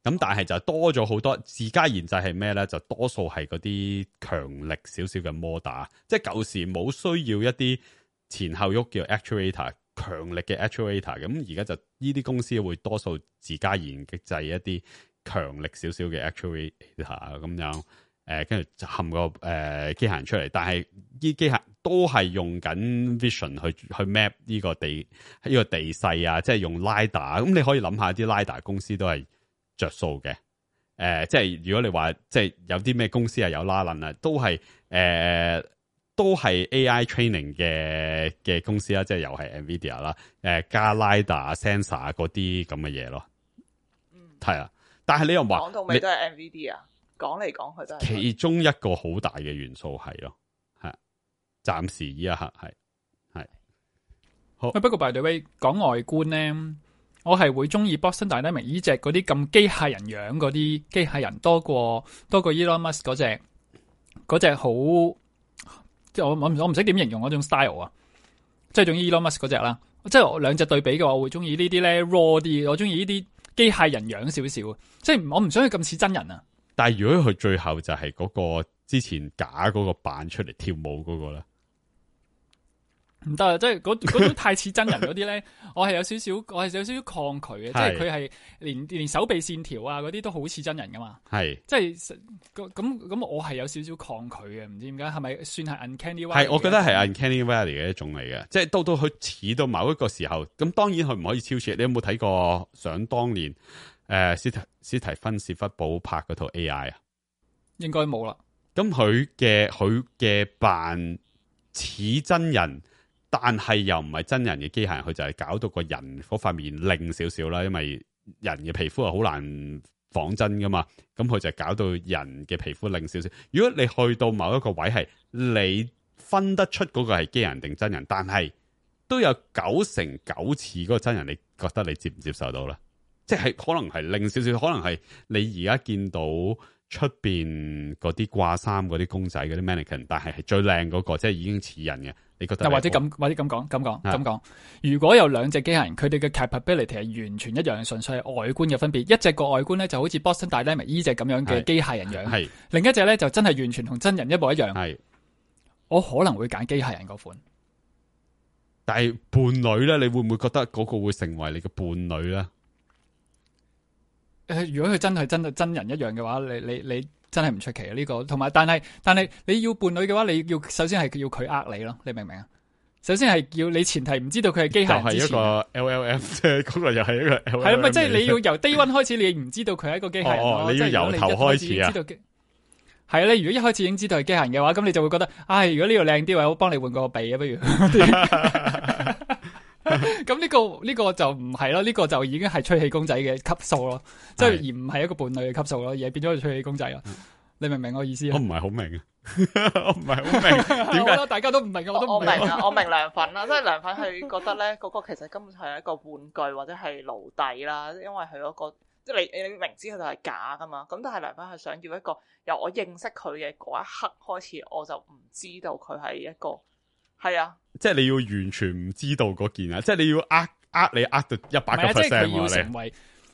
咁但係就多咗好多自家研製係咩咧？就多數係嗰啲強力少少嘅摩打，即係舊時冇需要一啲前後喐叫 actuator。強力嘅 actuator， 咁而家就呢啲公司會多數自家研製一啲強力少少嘅 actuator 咁樣，跟住就冚個機械人出嚟。但係呢機械都係用緊 vision 去 map 呢個地勢啊，即係用 lidar。咁你可以諗下啲 lidar 公司都係着數嘅。即係如果你話即係有啲咩公司係有拉楞啊，都係 AI training 嘅公司啦，即係又係 NVIDIA 啦，加 lidar sensor 嗰啲咁嘅嘢咯。係啊，但係你又話講到尾都係 NVIDIA，講嚟講去都係其中一個好大嘅元素係咯，係暫時依一刻係好。不過 by the way 講外觀咧，我係會中意 Boston Dynamics 呢隻嗰啲咁機械人樣嗰啲機械人多過 Elon Musk 嗰隻好。即係我唔識點形容嗰種 style 啊，即係總之 Elon Musk 嗰隻啦。即係我兩隻對比嘅話，我會中意呢啲咧 raw 啲，我中意呢啲機械人樣少少。即係我唔想佢咁似真人啊。但係如果佢最後就係嗰個之前假嗰個扮出嚟跳舞嗰個咧，唔得啊！即係嗰種太似真人嗰啲咧，我係有少少抗拒嘅。即係佢係連手臂線條啊嗰啲都好似真人噶嘛。係即係咁，我係有少少抗拒嘅。唔知點解係咪算係 uncanny valley？ 係，我覺得係 uncanny valley 嘅一種嚟嘅。即係到佢似到某一個時候，咁當然佢唔可以超越。你有冇睇過想當年史提芬史匹堡拍嗰套 AI 啊？應該冇啦。咁佢嘅扮似真人。但係又唔係真人嘅機械人，佢就係搞到個人嗰塊面靚少少啦，因為人嘅皮膚係好難仿真噶嘛，咁佢就搞到人嘅皮膚靚少少。如果你去到某一個位係你分得出嗰個係機械人定真人，但係都有9成9似嗰個真人，你覺得你接唔接受到咧？即係可能係靚少少，可能係你而家見到出邊嗰啲掛衫嗰啲公仔嗰啲 mannequin， 但係最靚嗰個，即係已經似人嘅。你覺得或者咁講，如果有兩隻機械人，佢哋嘅 capability 係完全一樣，純粹係外觀嘅分別。一隻個外觀咧就好似 Boston Dynamics 呢隻咁樣嘅機械人樣，另一隻咧就真係完全同真人一模一樣。我可能會揀機械人嗰款。但係伴侶咧，你會唔會覺得嗰個會成為你嘅伴侶咧？如果佢真係真人一樣嘅話，你真係唔出奇啊！呢個同埋，但係你要伴侶嘅話，你要首先係要佢呃你咯，你明唔明啊？首先係要你前提唔知道佢係機械人之前，就係一個 LLM 啫，嗰個又係一個 LLM 係啦，咪即係你要由 day one 開始，你唔知道佢係一個機械人咯。你要由頭開始啊！係啊，你如果一開始已經知道係機械人嘅話，咁你就會覺得，唉，如果呢個靚啲，我幫你換個鼻啊，不如。咁呢個就唔係咯，呢個就已經係吹氣公仔嘅級數咯，即係而唔係一個伴侶嘅級數咯，而係變咗吹氣公仔啦。你明唔明我意思啊？我唔係好明啊，我唔係好明點解大家都唔明，我都唔明。我明涼粉啦，即係涼粉係覺得咧，嗰個其實根本係一個玩具或者係奴隸啦，因為佢嗰個即係你明知佢就係假噶嘛，咁但係涼粉係想要一個由我認識佢嘅嗰一刻開始，我就唔知道佢係一個係啊，即係你要完全唔知道嗰件啊，即係你要你呃到100%，即係佢要成為。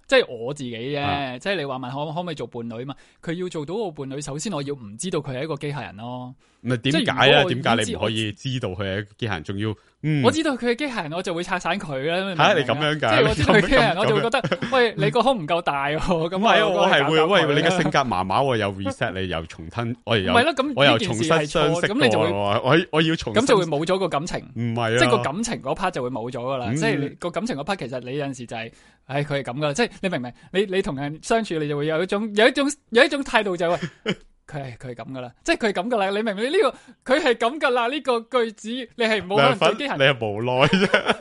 即係我自己啫，即係你話問可唔可以做伴侶嘛？佢要做到個伴侶，首先我要唔知道佢係一個機械人咯。唔係點解啊？點解你唔可以知道佢係一個機械人？仲要我知道佢係機械人，我就會拆散佢啦。吓你咁樣㗎？即係我知道佢係機械人，我就會覺得，喂，你個胸唔夠大喎。咁係我係會，喂，你嘅性格麻麻，我又 reset 你，又重新，我又我又重新相識，咁你就會我要重新，咁就會冇咗個感情。唔係啊，即係個感情嗰 part 就會冇咗噶啦。即係個感情嗰 part，其實你有陣時就係，唉，佢係咁噶啦。即係你明唔明？你同人相處，你就會有一種態度就係喂。佢係咁噶啦，即係佢係咁噶啦，你明唔明呢個？佢係咁噶啦，呢個句子你係冇可能做機械人，你係無奈啫。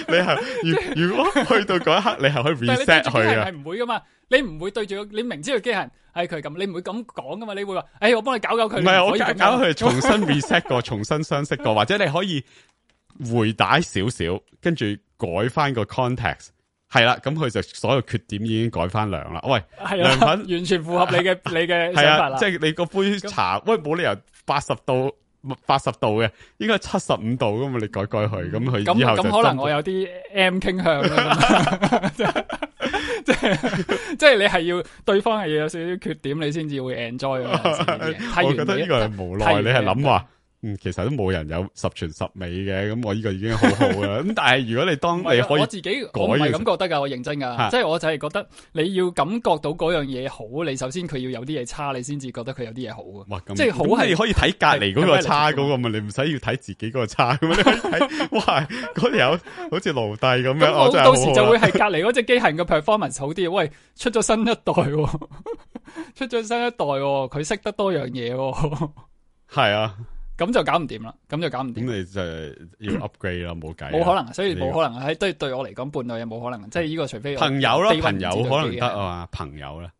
你係如果去到嗰一刻，你係可以 reset 佢啊。係唔會噶嘛？你唔會對住你明知佢機械人係佢係咁，你唔會咁講噶嘛？你會話，我幫你搞佢。唔係我搞佢重新 reset 過，重新相識過，或者你可以回帶少少，跟住改翻個 context。係啦，咁佢就所有缺點已經改翻涼啦。喂，涼粉完全符合你嘅想法啦。即係你個杯茶，喂，冇理由80度嘅，應該75度噶嘛？你改佢，咁佢以後就咁可能我有啲 M 傾向啦。即係你係要對方係要有少少缺點，你先至會 enjoy 嘅。我覺得呢個係無奈，你係諗話。其實都冇人有十全十美嘅，咁我呢個已經好好啦。咁但係如果你當你可以，我自己我唔係咁覺得噶，我認真噶，即係我就係覺得你要感覺到嗰樣嘢好，你首先佢要有啲嘢差，你先至覺得佢有啲嘢好啊。即係好係你可以睇隔籬嗰個差嗰個嘛，你唔使要睇自己嗰個差咁你可以睇，哇，嗰條友好似奴隸咁樣，我到時就會係隔籬嗰隻機械人嘅 performance 好啲。喂，出咗新一代，出咗新一代，佢識得多樣嘢，係啊。咁就搞唔掂啦，咁你就要 upgrade 啦，冇計。冇可能，所以冇可能。喺對我嚟講，伴侶又冇可能。即係呢個，除非朋友啦，朋友可能得啊嘛，朋友咧，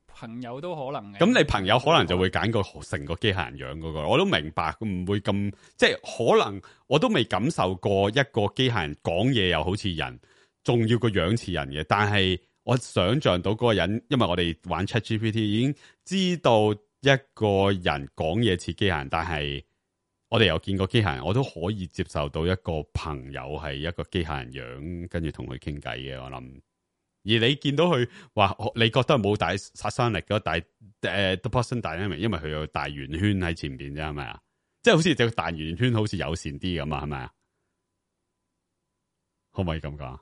朋友都可能嘅。咁你朋友可能就會揀個成個機械人樣嗰個，我都明白，唔會咁，即係可能我都未感受過一個機械人講嘢又好似人，仲要個樣似人嘅。但係我想象到嗰個人，因為我哋玩 ChatGPT 已經知道。一個人講嘢似機械人，但係我哋又見過機械人，我都可以接受到一個朋友係一個機械人樣，跟住同佢傾偈嘅。我諗，而你見到佢話，你覺得冇大殺傷力嘅，但係The Boston Dynamics，因為佢有大圓圈喺前邊啫，係咪啊？即係好似隻大圓圈，好似友善啲咁啊？係咪啊？可唔可以咁講？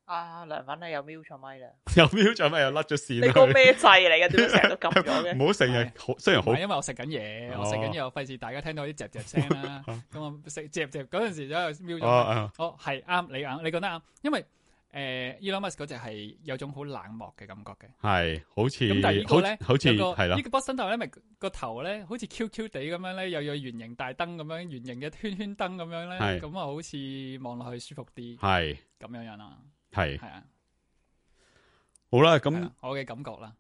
涼粉你又瞄咗咪啦，又瞄咗咪又甩咗線。你個咩掣嚟嘅？點解成日都撳咗嘅？唔好成日，雖然好，因為我食緊嘢，我食緊嘢，我費事大家聽到啲嚼嚼聲啦。咁我食嚼嗰陣時就瞄咗。係啱，你啱，你講得啱。因為Elon Musk 嗰隻係有種好冷漠嘅感覺嘅，係好似咁。但係呢個咧，好似係啦。呢個 Boston Dynamics 咪個頭咧，好似 Q 地咁樣咧，又有圓形大燈咁樣，圓形嘅圈圈燈咁樣咧，咁啊好似望落去舒服啲，係咁樣樣啦。係啊，好啦，咁我嘅感覺啦。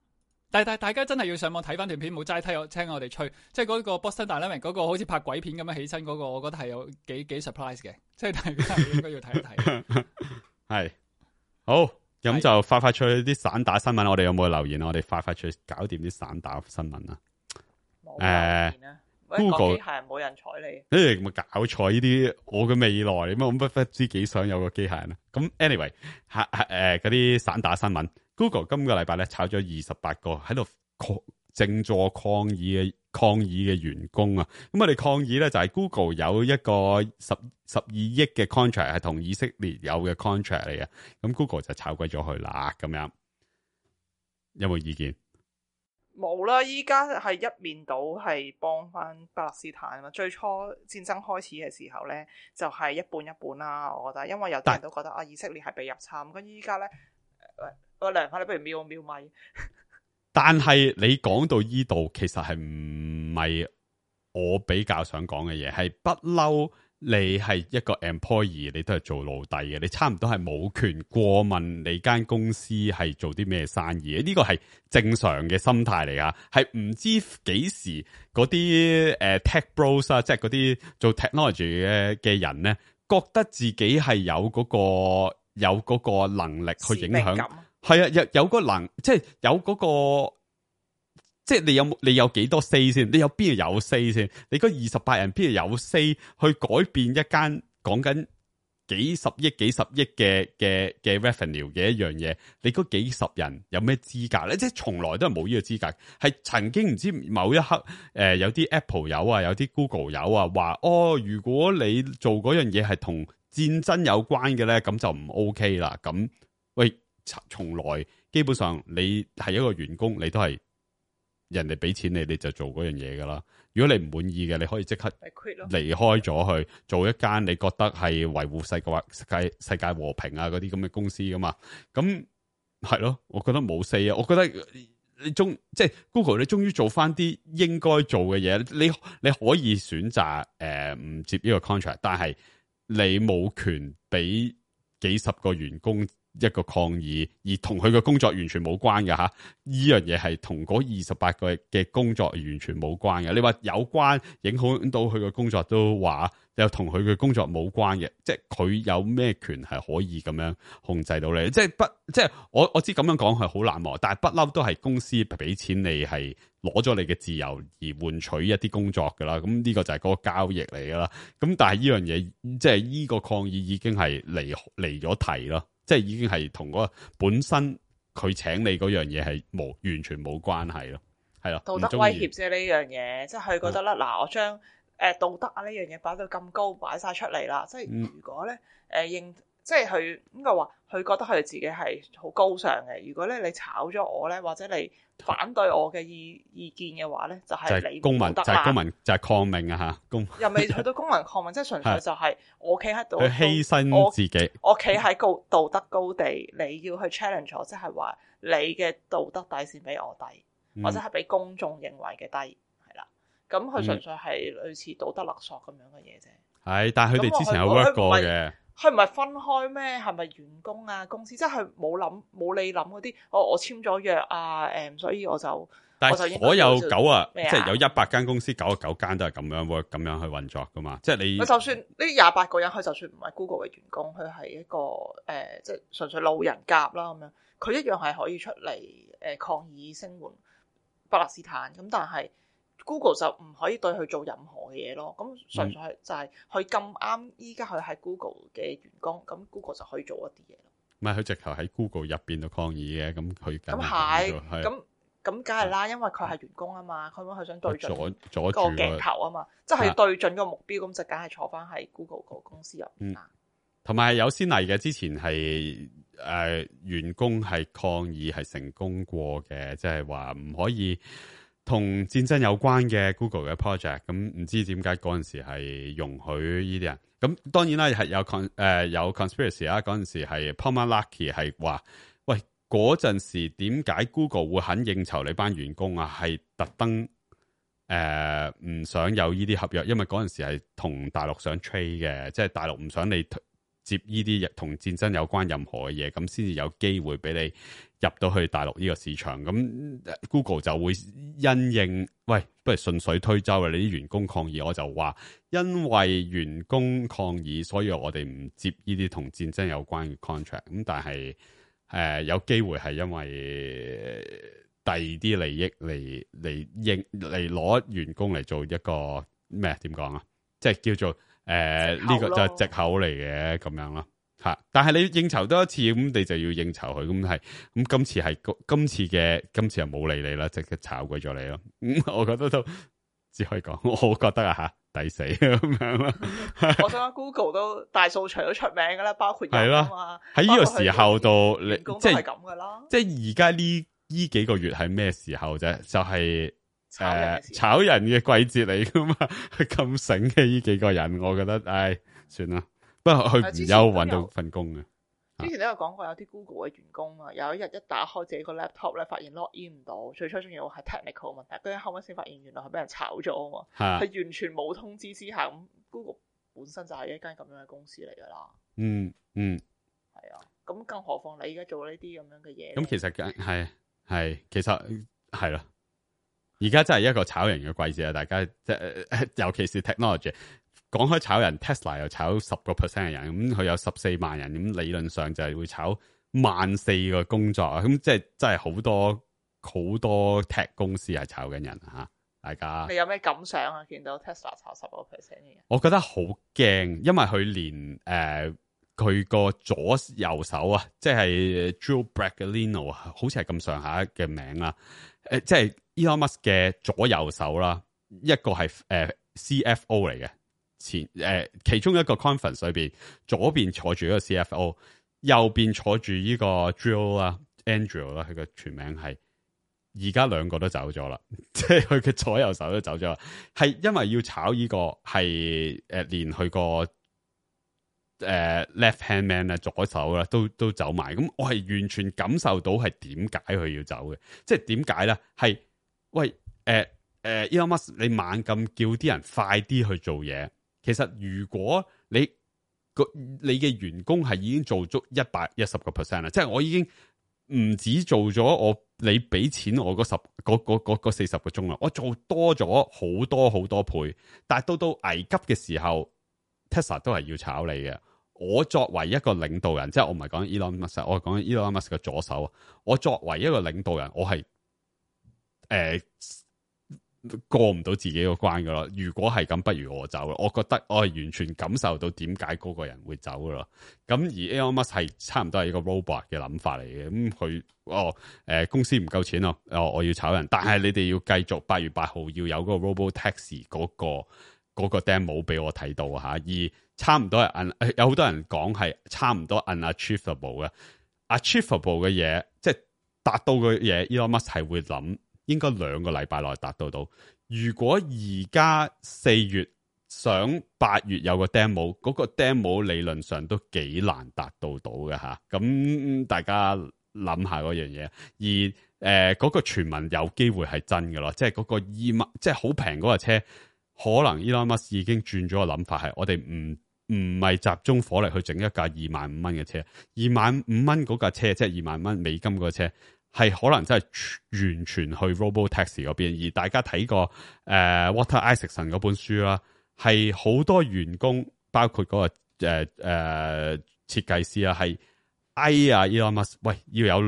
但係大家真係要上網睇翻段片，冇齋聽我哋吹。即係嗰個 Boston Dynamics 嗰個好似拍鬼片咁樣起身嗰個，我覺得係有幾 surprise 嘅。即係大家應該要睇一睇。係好，咁就快出去啲散打新聞。我哋有冇留言啊？我哋快出去搞掂啲散打新聞啊！冇Google 機械人冇人睬你，你咪搞錯呢啲我嘅未來，咁我不知幾想有個機械人啊！咁 anyway， 嗰啲散打新聞 ，Google 今個禮拜咧炒咗28個喺度靜坐抗議嘅抗議嘅員工啊。咁我哋抗議咧就係 Google 有一個12億嘅 contract 係同以色列有嘅 contract 嚟嘅，咁 Google 就炒鬼咗佢啦。咁樣有冇意見？冇啦，依家係一面倒係幫翻巴勒斯坦啊嘛。最初戰爭開始嘅時候咧，就係一半一半啦。我覺得，因為有啲人都覺得啊，以色列係被入侵，咁依家咧，我涼翻你，不如瞄咪。但係你講到依度，其實係唔係我比較想講嘅嘢，係不嬲。你係一個 employee， 你都係做奴隸嘅，你差唔多係冇權過問你間公司係做啲咩生意。呢個係正常嘅心態嚟噶，係唔知幾時嗰啲tech bros 啊，即係嗰啲做 technology 嘅人咧，覺得自己係有嗰個能力去影響，係啊，有個能，即係有嗰個。即係你有幾多 say 先？你有邊度有 say 先？你嗰28人邊度有 say 去改變一間講緊幾十億嘅 revenue 嘅一樣嘢？你嗰幾十人有咩資格咧？即係從來都係冇呢個資格。係曾經唔知某一刻有啲 Apple 友啊，有啲 Google 友啊，話如果你做嗰樣嘢係同戰爭有關嘅咧，咁就唔 OK 啦。咁喂，從來基本上你係一個員工，你都係。人哋俾錢你就做嗰樣嘢噶啦。如果你唔滿意嘅，你可以即刻離開咗去做一間你覺得係維護世界和平啊嗰啲咁嘅公司噶嘛。咁係咯，我覺得冇4啊。我覺得即係 Google， 你終於做翻啲應該做嘅嘢。你可以選擇唔接呢個 contract， 但係你冇權俾幾十個員工一個抗議，而同佢嘅工作完全冇關嘅吓，呢樣嘢係同嗰28個嘅工作完全冇關嘅。你話有關，影響到佢嘅工作都話，又同佢嘅工作冇關嘅，即係佢有咩權係可以咁樣控制到你？即係我知咁樣講係好冷漠，但係不嬲都係公司俾錢你係攞咗你嘅自由而換取一啲工作噶啦。咁呢個就係嗰個交易嚟噶啦。咁但係呢樣嘢，即係呢個抗議已經係離咗題咯。即係已經係同嗰個本身佢請你嗰樣嘢係完全冇關係咯，係咯。道德威脅啫呢樣嘢，即係佢覺得啦，嗱，我將道德啊呢樣嘢擺到咁高，擺晒出嚟啦。即係如果咧即係佢應該話，佢覺得佢自己係好高尚嘅。如果咧你炒咗我咧，或者你反對我嘅意見嘅話咧，就係你公民，就係公民，就係抗命啊吓！又未去到公民抗命，即係純粹就係我企喺度，佢犧牲自己，我企喺道德高地，你要去 challenge 我，即係話你嘅道德底線比我低，或者係比公眾認為嘅低，係啦。咁佢純粹係類似道德勒索咁樣嘅嘢啫。係，但係佢哋之前有 work 過嘅。佢唔係分開咩？係咪員工啊？公司即係冇你諗嗰啲。我簽咗約啊，所以我就但係所有即係有100間公司99間都係咁樣 work 咁樣去運作噶嘛。即係你就算呢28個人，佢就算唔係 Google 嘅員工，佢係一個即係純粹路人甲啦咁樣，佢一樣係可以出嚟抗議聲援巴勒斯坦。咁但係 Google 就唔可以對佢做任何嘅嘢咯，咁純粹係就係佢咁啱依家佢係 Google 嘅員工，咁 Google 就可以做一啲嘢咯。唔係佢直頭喺 Google 入邊度抗議嘅，咁佢咁係咁梗係啦，因為佢係員工啊嘛，佢想對準個鏡頭啊嘛，即係對準個目標，咁就梗係坐翻喺 Google 個公司入邊啦。同埋有先例嘅，之前係員工係抗議係成功過嘅，即係話唔可以同戰爭有關嘅 Google 嘅 project， 咁唔知點解嗰陣時係容許呢啲人。咁當然啦，係有 conspiracy 啦。嗰陣時係 Palmer Luckey 係話，喂，嗰陣時點解 Google 會肯應酬你班員工啊？係特登唔想有呢啲合約，因為嗰陣時係同大陸想 trade 嘅，即係大陸唔想你接呢啲同戰爭有關任何嘅嘢，咁先至有機會俾你入到去大陸呢個市場。咁 Google 就會因應，喂，不如順水推舟啊！你啲員工抗議，我就話因為員工抗議，所以我哋唔接呢啲同戰爭有關嘅 contract。咁但係有機會係因為第二啲利益嚟攞員工嚟做一個咩？點講啊？即係叫做呢個就係藉口嚟嘅咁樣咯吓。但係你應酬多一次，咁你就要應酬佢，咁係咁今次係今次又冇理你啦，即刻炒鬼咗你咯。我覺得都只可以講，我覺得啊嚇抵死咁樣啦。我想講 Google 都大數除都出名㗎啦，包括人啊嘛。喺呢個時候度，你即係咁㗎啦。即係而家呢幾個月係咩時候啫？就係、炒人嘅季節嚟噶嘛，咁醒嘅呢幾個人，我覺得唉算啦。不過佢唔憂揾到份工嘅。之前都有講過，有啲 Google 嘅員工啊，有一日一打開自己個 laptop 咧，發現 log in 唔到，最初仲要係 technical 問題，跟住後尾先發現原來係俾人炒咗啊嘛，係完全冇通知之下，咁 Google 本身就係一間咁樣嘅公司嚟噶啦。係啊，咁更何況你而家做呢啲咁樣嘅嘢。咁其實其實係咯，而家真係一個炒人嘅季節啊！大家尤其是 technology。講開炒人 Tesla 又炒10%嘅人，咁佢有14萬人，咁理論上就係會炒14,000個工作啊！咁即係真係好多 tech 公司係炒緊人吓，大家你有咩感想啊？見到 Tesla 炒10%嘅人，我覺得好驚，因為佢連佢個左右手啊，即係 Joe Bragalino 啊，好似係咁上下嘅名啦，即係 Elon Musk 嘅左右手啦，一個係CFO 嚟嘅。其中一個 conference 裏邊，左邊坐住一個 CFO， 右邊坐住呢個 Drill 啦 Andrew 啦，佢嘅全名係，而家兩個都走咗啦，即係佢嘅左右手都走咗啦，係因為要炒呢個係連佢個left hand man 啊，左手啦都走埋，咁我係完全感受到係點解佢要走嘅，即係點解咧？係喂Elon Musk 你猛咁叫啲人快啲去做嘢。其實如果你嘅員工係已經做足110%啦，即係我已經唔止做咗你俾錢我嗰40個鐘啦，我做多咗好多倍，但係到危急嘅時候 ，Tesla 都係要炒你嘅。我作為一個領導人，即係我唔係講 Elon Musk， 我係講 Elon Musk 嘅左手。我作為一個領導人，我係過唔到自己個關噶咯，如果係咁，不如我走咯。我覺得我係完全感受到點解嗰個人會走噶咯。咁而 Elon Musk 係差唔多係一個 robot 嘅諗法嚟嘅。咁佢公司唔夠錢咯，我要炒人，但係你哋要繼續8月8號要有嗰個 Robo Taxi 嗰個 demo 俾我睇到吓，而差唔多係有好多人講係差唔多 unachievable 嘅 achievable 嘅嘢，即係達到嘅嘢 Elon Musk 係會諗。應該2個禮拜內達到。如果而家4月想8月有個 demo， 嗰個 demo 理論上都幾難達到嘅吓。咁大家諗下嗰樣嘢。而嗰個傳聞有機會係真嘅咯，即係嗰個即係好平嗰個車，可能 Elon Musk 已經轉咗個諗法，係我哋唔係集中火力去整一架25,000蚊嘅車，25,000蚊嗰架車即係25,000蚊美金嗰個車。係可能真係完全去 Robo Taxi 嗰邊，而大家睇過Walter Isaacson 嗰本書啦，係好多員工，包括嗰個設計師啊，係Elon Musk， 喂，要有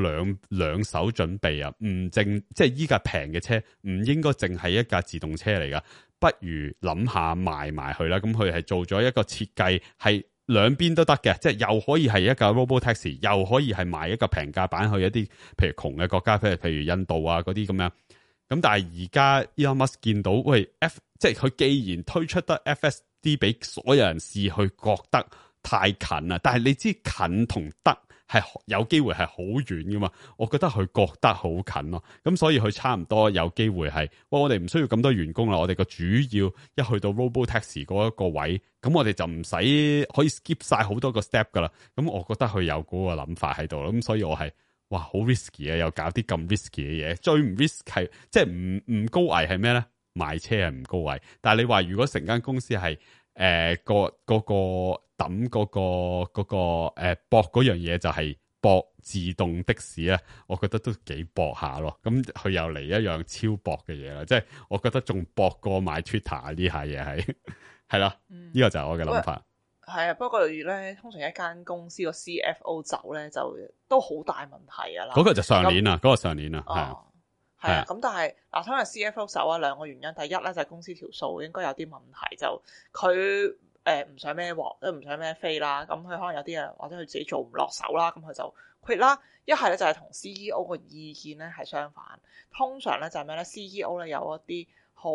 兩手準備啊，即係依架平嘅車唔應該淨係一架自動車嚟噶，不如諗下賣埋去啦。咁佢係做咗一個設計係。兩邊都得嘅，即係又可以係一架 Robo Taxi， 又可以係賣一個平價版去一啲譬如窮嘅國家，譬如印度啊嗰啲咁樣。咁但係而家 Elon Musk 見到，喂即係佢既然推出得 FSD 俾所有人試，去覺得太近啦。但係你知近同得係有機會係好遠噶嘛？我覺得佢覺得好近咯。咁所以佢差唔多有機會係，我哋唔需要咁多員工啦。我哋個主要一去到 Robo Taxi 嗰一個位，咁我哋就唔使可以 skip 晒好多個 step 噶啦。咁我覺得佢有嗰個諗法喺度咯。咁所以我係哇好 risky 啊，又搞啲咁 risky 嘅嘢。最唔 risk 係即係唔高危係咩咧？賣車係唔高危，但係你話如果成間公司係嗰個抌嗰個搏嗰樣嘢就係搏自動的士咧，我覺得都幾搏下咯。咁佢又嚟一樣超搏嘅嘢啦，即係我覺得仲搏過買 Twitter 呢下嘢係啦，呢個就係我嘅諗法。係啊，不過咧，通常一間公司個 CFO 走咧，就都好大問題噶啦。嗰個就上年啦，嗰個上年啦，係啊。咁但係嗱，通常 CFO 走啊，兩個原因。第一咧就係公司條數應該有啲問題，就佢唔想孭鑊，都唔想孭飛啦。咁佢可能有啲人或者佢自己做唔落手啦，咁佢就 quit 啦。一係咧就係同 CEO 個意見咧係相反。通常咧就係咩咧？CEO 咧有一啲好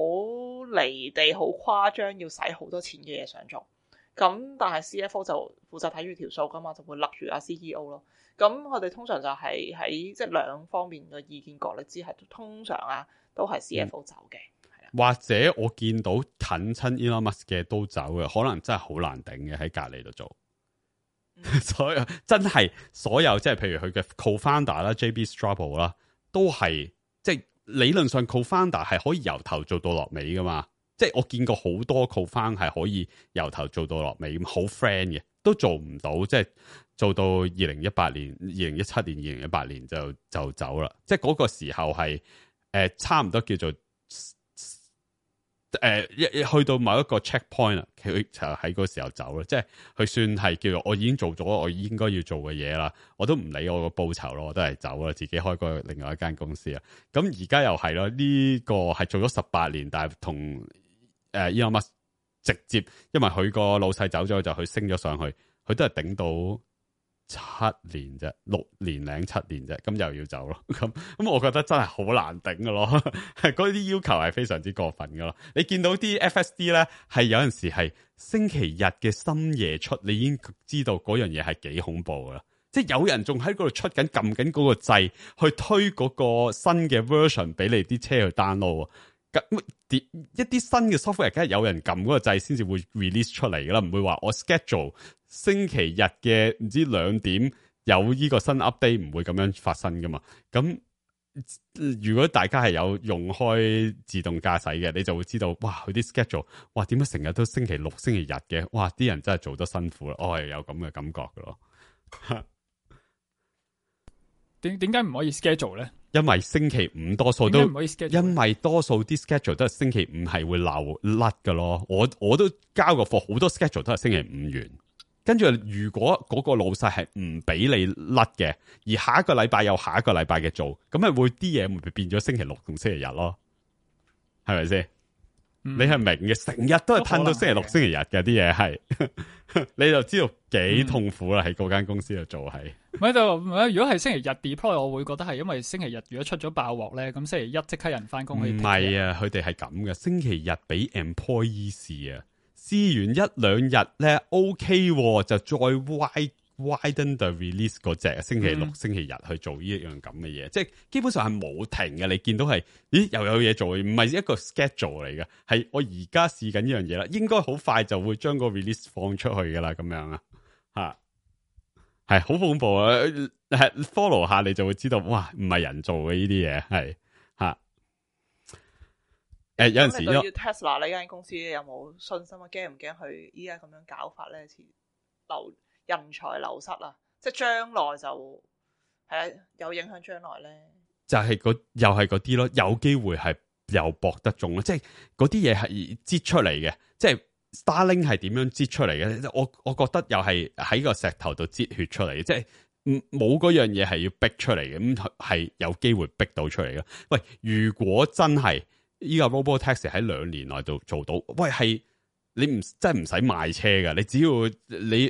離地好誇張，要使好多錢嘅嘢想做。咁但係 CFO 就負責睇住條數噶嘛，就會勒住阿 CEO 咯。咁我哋通常就係喺即係兩方面嘅意見角力之下，通常啊都係 CFO 走嘅。或者我見到近親 Elon Musk 嘅都走嘅，可能真係好難頂嘅喺隔離度做。所有真係所有即係譬如佢嘅 co-founder 啦 JB Straubel 啦，都係即係理論上 co-founder 係可以由頭做到落尾噶嘛。即係我見過好多 co-found 係可以由頭做到落尾咁好 friend 嘅，都做唔到，即係做到2018年、2017年、2018年就走啦。即係嗰個時候係差唔多叫做去到某一個 checkpoint 啦，佢就喺嗰時候走啦。即係佢算係叫做我已經做咗我應該要做嘅嘢啦，我都唔理我個報酬咯，我都係走啦，自己開個另外一間公司啊。咁而家又係咯，呢個係做咗18年，但係同Elon Musk 直接，因為佢個老細走咗，就佢升咗上去，佢都係頂到7年啫，6年零7年啫，咁又要走咯。咁我覺得真係好難頂噶咯，嗰啲要求係非常之過分噶咯。你見到啲 FSD 咧，係有陣時係星期日嘅深夜出，你已經知道嗰樣嘢係幾恐怖噶啦。即係有人仲喺嗰度出緊撳緊嗰個掣去推嗰個新嘅 version 俾你啲車去 download。一啲新嘅 software 梗係有人撳嗰個掣先至會 release 出嚟噶啦，唔會話我 schedule 星期日嘅唔知2點有呢個新 update， 唔會咁樣發生噶嘛。咁如果大家係有用開自動駕駛嘅，你就會知道，哇，佢啲 schedule， 哇，點解成日都星期六、星期日嘅？哇，啲人真係做得辛苦啦，我係有咁嘅感覺噶咯。點解唔可以 schedule 咧？因為星期五多數都唔可以 schedule，因為多數啲 schedule 都係星期五係會漏甩噶咯。我都交過貨，好多 schedule 都係星期五完。跟住如果嗰個老細係唔俾你甩嘅，而下一個禮拜有下一個禮拜嘅做，咁咪會啲嘢會變咗星期六同星期日咯，係咪先？你係明嘅，成日都係褪到星期六、星期日嘅啲嘢係，你就知道幾痛苦啦。喺嗰間公司度做係。咪就如果係星期日 deploy，我會覺得係因為星期日如果出咗爆鑊咧，咁星期一即刻人翻工去。唔係啊，佢哋係咁嘅。星期日俾 employee 試啊，試完1-2日咧 OK，就再widen the release 嗰隻星期六、星期日去做呢一樣咁嘅嘢，即係基本上係冇停嘅。你見到係，咦又有嘢做，唔係一個 schedule 嚟嘅，係我而家試緊呢樣嘢啦，應該好快就會將個 release 放出去噶啦，咁樣啊，吓係好恐怖啊！係 follow 下你就會知道，哇，唔係人做嘅呢啲嘢，係吓。有陣時對於 Tesla 呢間公司有冇信心啊？驚唔驚佢依家咁樣搞法咧？人才流失啊！即係將來就係有影響將來咧，就係又係嗰啲咯，有機會係又博得中咯。即係嗰啲嘢係擠出嚟嘅，即係 Starlink 係點樣擠出嚟嘅？我覺得又係喺個石頭度擠血出嚟嘅，即係冇嗰樣嘢係要逼出嚟嘅，咁係有機會逼到出嚟嘅。喂，如果真係依個 Robotaxi 喺2年內度做到，喂係。你真係唔使賣車噶，你只要你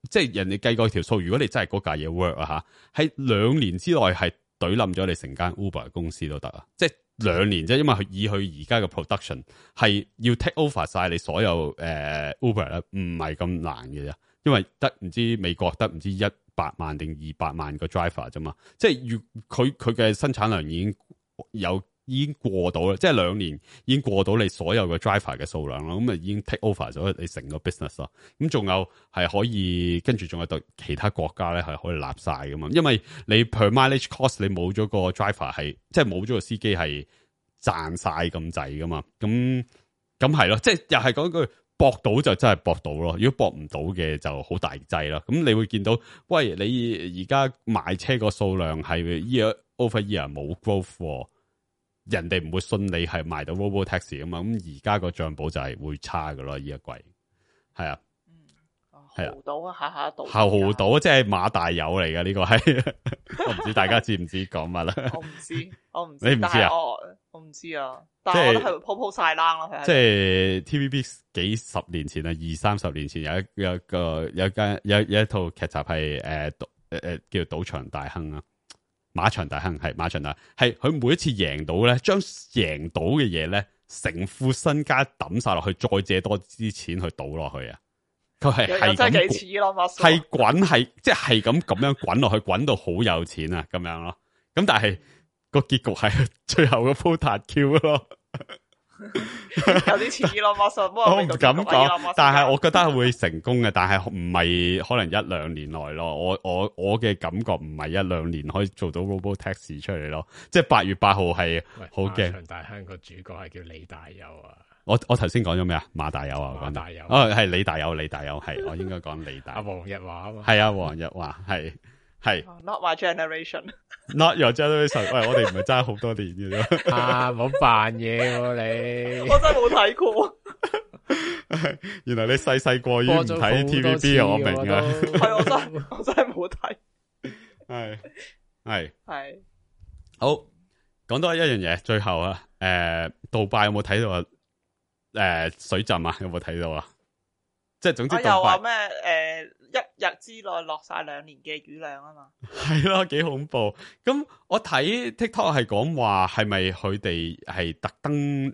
即係人哋計過條數，如果你真係嗰架嘢 work 啊吓，喺2年之內係懟冧咗你成間 Uber 公司都得啊！即係2年啫，因為以佢而家嘅 production 係要 take over 晒你所有Uber 咧，唔係咁難嘅啫。因為得唔知美國得唔知100萬定200萬個 driver 啫嘛，即係佢嘅生產量已經過到啦，即係2年已經過到你所有嘅 driver 嘅數量啦，咁啊已經 take over 咗你成個 business 咯。咁仲有係可以跟住仲有對其他國家咧係可以立晒噶嘛，因為你 per mileage cost 你冇咗個 driver 係即係冇咗個司機係賺晒咁滯噶嘛。咁係咯，即係又係講句搏到就真係搏到咯，如果搏唔到嘅就好大劑啦。咁你會見到，喂，你而家賣車個數量係 year over year 冇 growth。人哋唔會信你係賣到 Robotaxi 啊嘛，咁而家個賬簿就係會差噶咯，呢一季係啊，係啊，豪賭啊，下賭，豪賭即係馬大友嚟嘅呢個係，我唔知大家知唔知講乜啦？我唔知，你唔知啊？我唔知啊，但係我都係鋪晒冷咯，即係 TVB 幾十年前啊，20-30年前有一套劇集係叫賭場大亨啊。馬場大亨係馬場大亨，係佢每一次贏到咧，將贏到嘅嘢咧成副身家抌晒落去，再借多啲錢去賭落去啊！佢係真係咁幾似咯，係滾係即係咁樣滾落去，滾到好有錢啊咁樣咯。咁但係個結局係最後個鋪塔 Q 咯。有啲似 Elon Musk，我唔敢講，但係我覺得會成功嘅，但係唔係可能1-2年內咯。我嘅感覺唔係1-2年可以做到 Robo Taxi 出嚟咯。即係8月8號係好驚。長大香個主角係叫李大友啊。我頭先講咗咩啊？馬大友啊，馬大友係李大友係我應該講李大。阿黃日華啊嘛。係啊，黃日華係。Not my generation。Not your generation。喂，我哋唔係爭好多年嘅啫。唔好扮嘢喎你。我真係冇睇過。原來你細個已經唔睇 TVB 啊，我明啊。係我真係冇睇。係。好，講多一樣嘢，最後啊，杜拜有冇睇到啊？水浸啊，有冇睇到啊？即係總之，又話咩？一日之內落晒2年嘅雨量啊嘛，係咯，幾恐怖。咁我睇 TikTok 係講話，係咪佢哋係特登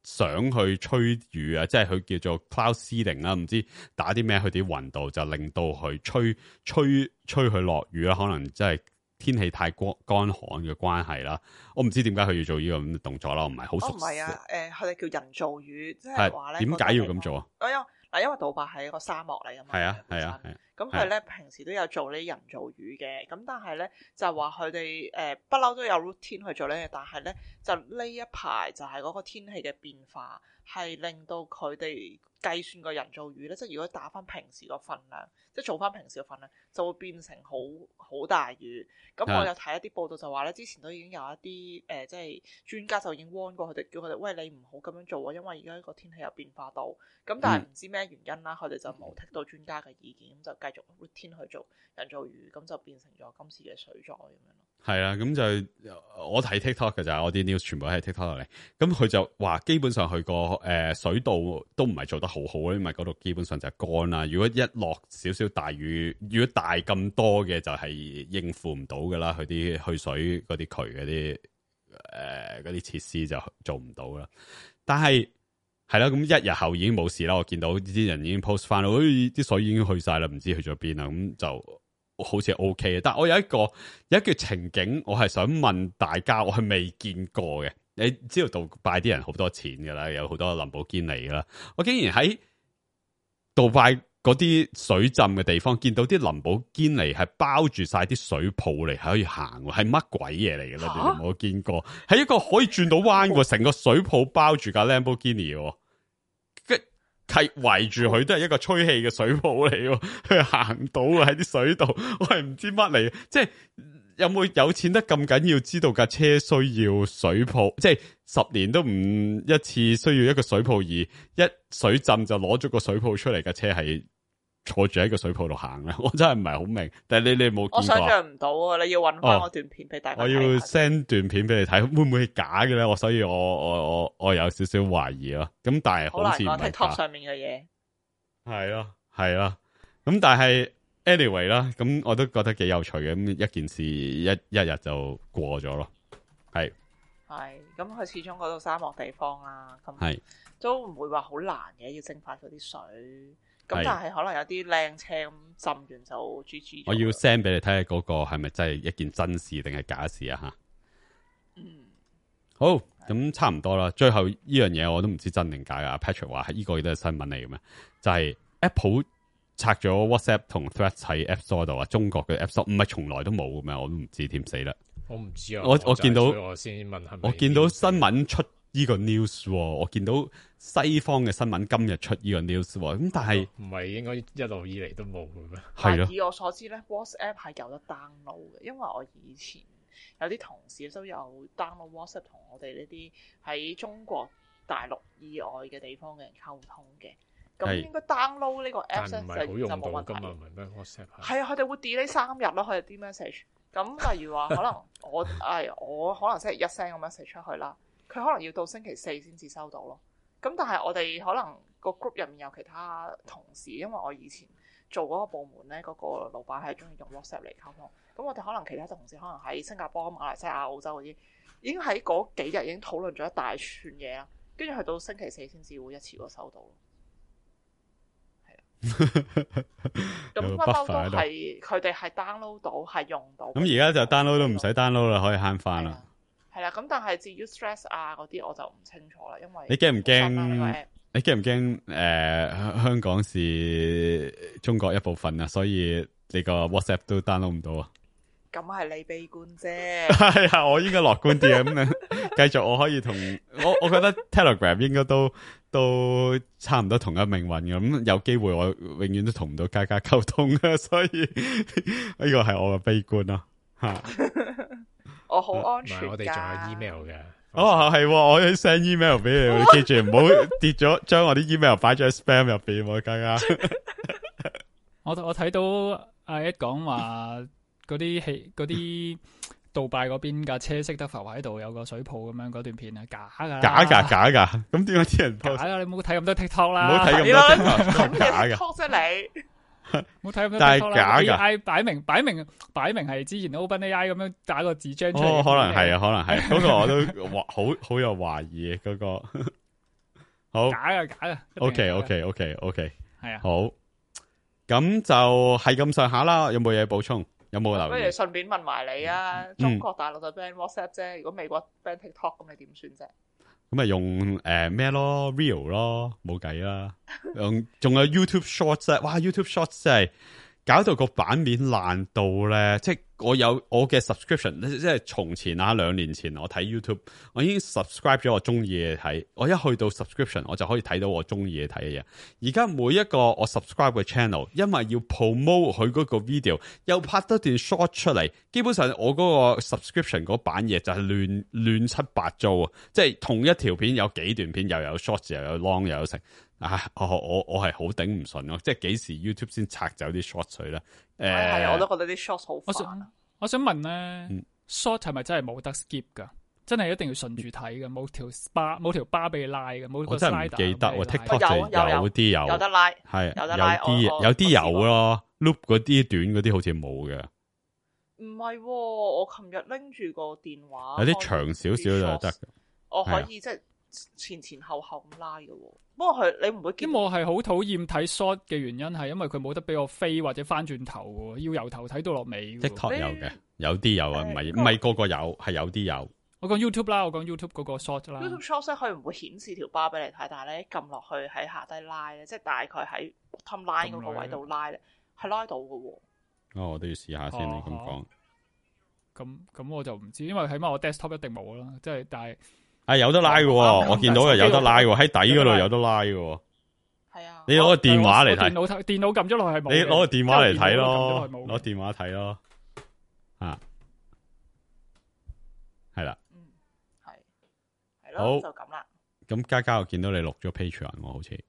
想去吹雨啊？即係佢叫做 cloud seeding 啦，唔知打啲咩去啲雲度，就令到佢吹佢落雨啦。可能即係天氣太乾旱嘅關係啦。我唔知點解佢要做呢個咁嘅動作啦，我唔係好熟悉。唔係啊，佢哋叫人造雨，即係話咧，點解要咁做啊？因為杜拜係一個沙漠嚟㗎嘛，係啊。咁佢咧平時都有做呢啲人造雨嘅，咁但係咧就話佢哋不嬲都有 routine 去做呢，但係咧就呢一排就係嗰個天氣嘅變化，係令到佢哋計算個人造雨咧，即係如果打翻平時個份量，即係做翻平時個份量，就會變成好大雨。咁我有睇一啲報道就話咧，之前都已經有一啲即係專家就已經 warn 過佢哋，叫佢哋喂，你唔好咁樣做啊，因為而家呢個天氣有變化到。咁但係唔知咩原因啦，佢哋就冇剔到專家嘅意見，咁就繼續 routine 去做人造雨，咁就變成咗今次嘅水災咁樣咯。係啊，咁就我睇 TikTok 嘅就係我啲 news 全部喺 TikTok 落嚟，咁佢就話基本上佢個水道都唔係做得好好，因為嗰度基本上就係乾啦。如果一落少少大雨，如果大咁多嘅就係應付唔到噶啦，佢啲去水嗰啲渠嗰啲嗰啲設施就做唔到啦。但係係啦，咁1日後已經冇事啦。我見到啲人已經 post 翻啦，啲水已經去晒啦，唔知去咗邊啦。咁就好似 OK 嘅。但係我有一個情景，我係想問大家，我係未見過嘅。你知道杜拜啲人好多錢噶啦，有好多林寶堅尼噶啦。我竟然喺杜拜嗰啲水浸嘅地方見到啲林寶堅尼係包住晒啲水泡嚟，係可以行，係乜鬼嘢嚟嘅咧？你哋冇見過？係一個可以轉到彎嘅，成個水泡包住架 Lamborghini，係圍住佢都係一個吹氣嘅水泡嚟，佢行到啊喺啲水度，我係唔知乜嚟，即係有冇有錢得咁緊要知道架車需要水泡，即係10年都唔一次需要一個水泡，而一水浸就攞咗個水泡出嚟，架車係坐住喺個水泡度行咧，我真係唔係好明。但係你冇見過？我想象唔到啊！你要搵翻我段片俾大家睇。我要 send 段片俾你睇，會唔會係假嘅咧？所以我有少少懷疑咯。咁但係好似唔係 TikTok 上面嘅嘢。係咯。咁但係 anyway 啦，咁我都覺得幾有趣嘅。咁一件事一日就過咗咯。係。咁佢始終嗰度沙漠地方啦，咁都唔會話好難嘅，要蒸發嗰啲水。咁但係可能有啲靚車咁浸完就 GG。我要 send 俾你睇下嗰個係咪真係一件真事定係假事啊？吓，好，咁差唔多啦。最後呢樣嘢我都唔知真定假啊。Patrick 話係呢個亦都係新聞嚟嘅咩？就係 Apple 拆咗 WhatsApp 同 Threads 喺 App Store 度啊，中國嘅 App Store 唔係從來都冇嘅咩？我都唔知點死啦。我唔知啊。我見到我先問係咪？我見到新聞出呢個 news，我見到西方嘅新聞今日出呢個 news，咁但係唔係應該一路以嚟都冇嘅咩？係咯。以我所知咧 ，WhatsApp 係有得 download 嘅，因為我以前有啲同事都有 download WhatsApp 同我哋呢啲喺中國大陸以外嘅地方嘅人溝通嘅。咁應該 download 呢個 app 咧就冇問題。唔係咩 WhatsApp 係啊，佢哋會 delete 3日咯，佢哋啲 message。咁例如話，可能我可能星期一 send 個 message 出去啦，佢可能要到星期4先至收到咯。咁但係我哋可能個 group 入面有其他同事，因為我以前做嗰個部門咧，嗰個老闆係中意用 WhatsApp 嚟溝通。咁我哋可能其他同事可能喺新加坡、馬來西亞、澳洲嗰啲，已經喺嗰幾日已經討論咗一大串嘢啦。跟住去到星期四先至會一次過收到咯。咁不嬲都係佢哋係 download 到，係用到。咁而家就 download 都唔使 download 啦，可以慳翻啦。係啦，咁但係至於 stress 啊嗰啲我就唔清楚啦，因為你驚唔驚？你驚唔驚？香港是中國一部分啊，所以你個 WhatsApp 都 download 唔到啊。咁係你悲觀啫。係啊，我應該樂觀啲啊。咁繼續，我可以同我覺得 Telegram 應該都差唔多同一命運嘅。咁有機會我永遠都同唔到家溝通啊，所以呢個係我嘅悲觀咯。吓，我好安全。我哋仲有 email 嘅。哦，係，我要 send email 俾你，你記住唔好跌咗，將我啲 email 擺咗喺 spam 入邊，家。我睇到阿 Ed 講話嗰啲杜拜嗰邊架車識得浮喺度，有個水泡咁樣嗰段片啊，假噶。咁點解啲人 post？ 假噶，你唔好睇咁多 TikTok 啦，唔好睇咁多 TikTok， 假嘅。TikTok 啫你。唔好睇咁多 TikTok 啦，但係假噶。AI 擺明係之前 OpenAI 咁樣打個字張出嚟。可能係啊，可能係。嗰個我都好有懷疑嗰個。好假噶。OK。係啊。好。咁就係咁上下啦。有冇嘢補充？有冇留意？不如順便問埋你啊！中國大陸就 ban WhatsApp 啫，如果美國 ban TikTok， 咁你點算啫？咁咪用咩咯 Real 咯，冇計啦。仲有 YouTube Shorts 啊！哇 YouTube Shorts 真係搞到個版面爛到咧，即係我有我嘅 subscription，即係從前啊2年前我睇 YouTube， 我已經 subscribe 咗我中意嘅睇，我一去到 subscription 我就可以睇到我中意嘅睇嘅嘢。而家每一個我 subscribe 嘅 channel， 因為要 promote 佢嗰個 video， 又拍多段 short 出嚟，基本上我嗰個 subscription 嗰版嘢就係亂七八糟啊！即係同一條片有幾段片，又有 short 又有 long 又有成。我係好頂唔順咯，即係幾時 YouTube 先拆走啲 short 水咧？係我都覺得啲 short 好煩。我想問咧，short 係咪真係冇得 skip 噶？真係一定要順住睇嘅，冇條巴俾你拉嘅，冇個 slider。我真係唔記得喎 ，TikTok 就有啲有得拉，係有得拉，有啲有咯 ，loop 嗰啲短嗰啲好似冇嘅。唔係，我琴日拎住個電話，有啲長少少就得。我可以即係前後咁拉嘅。不過你唔會見。我係好討厭睇 short 嘅原因係因為佢冇得俾我飛或者翻轉頭喎，要由頭睇到落尾。TikTok 有嘅，有啲有啊，唔係個個有，係有啲有。我講 YouTube 啦，我講 YouTube 嗰個 short 啦。YouTube short 佢唔會顯示條巴俾你睇，但係咧撳落去喺下低拉咧，即係大概喺 bottom line 嗰個位度拉咧，係拉到嘅喎。我都要試下先，你咁講。咁我就唔知，因為起碼我 desktop 一定冇啦，即係但係。有得拉嘅，我見到有得拉嘅，喺底嗰度有得拉嘅。係啊，你攞個電話嚟睇。電腦撳咗落去係冇。你攞個電話嚟睇咯，攞電話睇咯。係啦。係咯，就咁啦。咁嘉我見到你錄咗 Patreon 我好似，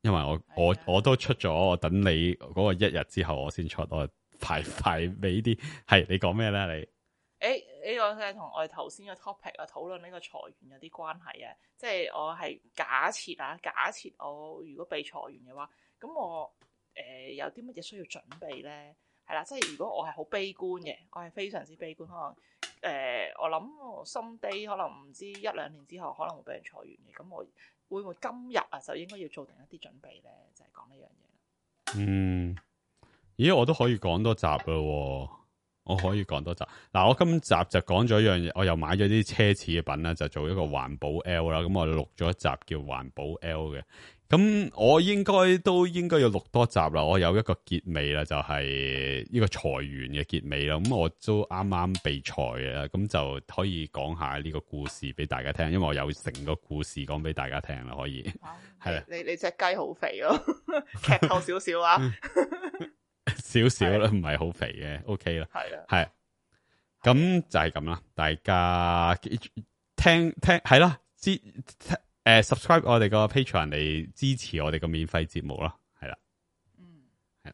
因為我都出咗，我等你嗰個1日之後我先出，我排尾啲。係你講咩咧？你？呢個係同我哋頭先嘅 topic 啊，討論呢個裁員有啲關係啊。即係我係假設我如果被裁員嘅話，咁我有啲乜嘢需要準備咧？係啦，即係如果我係好悲觀嘅，我係非常之悲觀，可能我諗someday可能唔知1-2年之後可能會俾人裁員嘅，咁我會唔會今日啊就應該要做定一啲準備咧？就係講呢樣嘢。咦，我都可以講多集咯。我可以講多集嗱，我今集就講咗一樣嘢，我又買咗啲奢侈嘅品啦，就做一個環保 L 啦。咁我錄咗一集叫環保 L 嘅，咁我應該要錄多集啦。我有一個結尾啦，就係呢個裁員嘅結尾啦。咁我都啱啱被裁嘅，咁就可以講下呢個故事俾大家聽，因為我有成個故事講俾大家聽啦。可以係啦，你隻雞好肥咯，劇透少少啊。少少啦，唔係好肥嘅 ，OK 啦，係啊，係，咁就係咁啦，大家聽係啦，subscribe 我哋個 Patreon 嚟支持我哋個免費節目啦，係啦，係，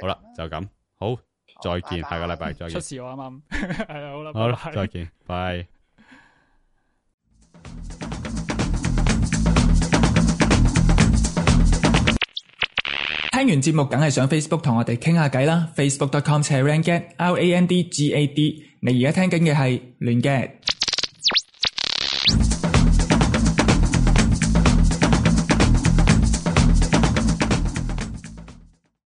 好啦，就咁，好，再見，下個禮拜再見，出事我啱啱，係啊，好啦，好啦，再見，拜。聽完節目梗係上 Facebook 同我哋傾下偈啦 ，Facebook.com/randgad，RANDGAD。你而家聽緊嘅係亂 gad。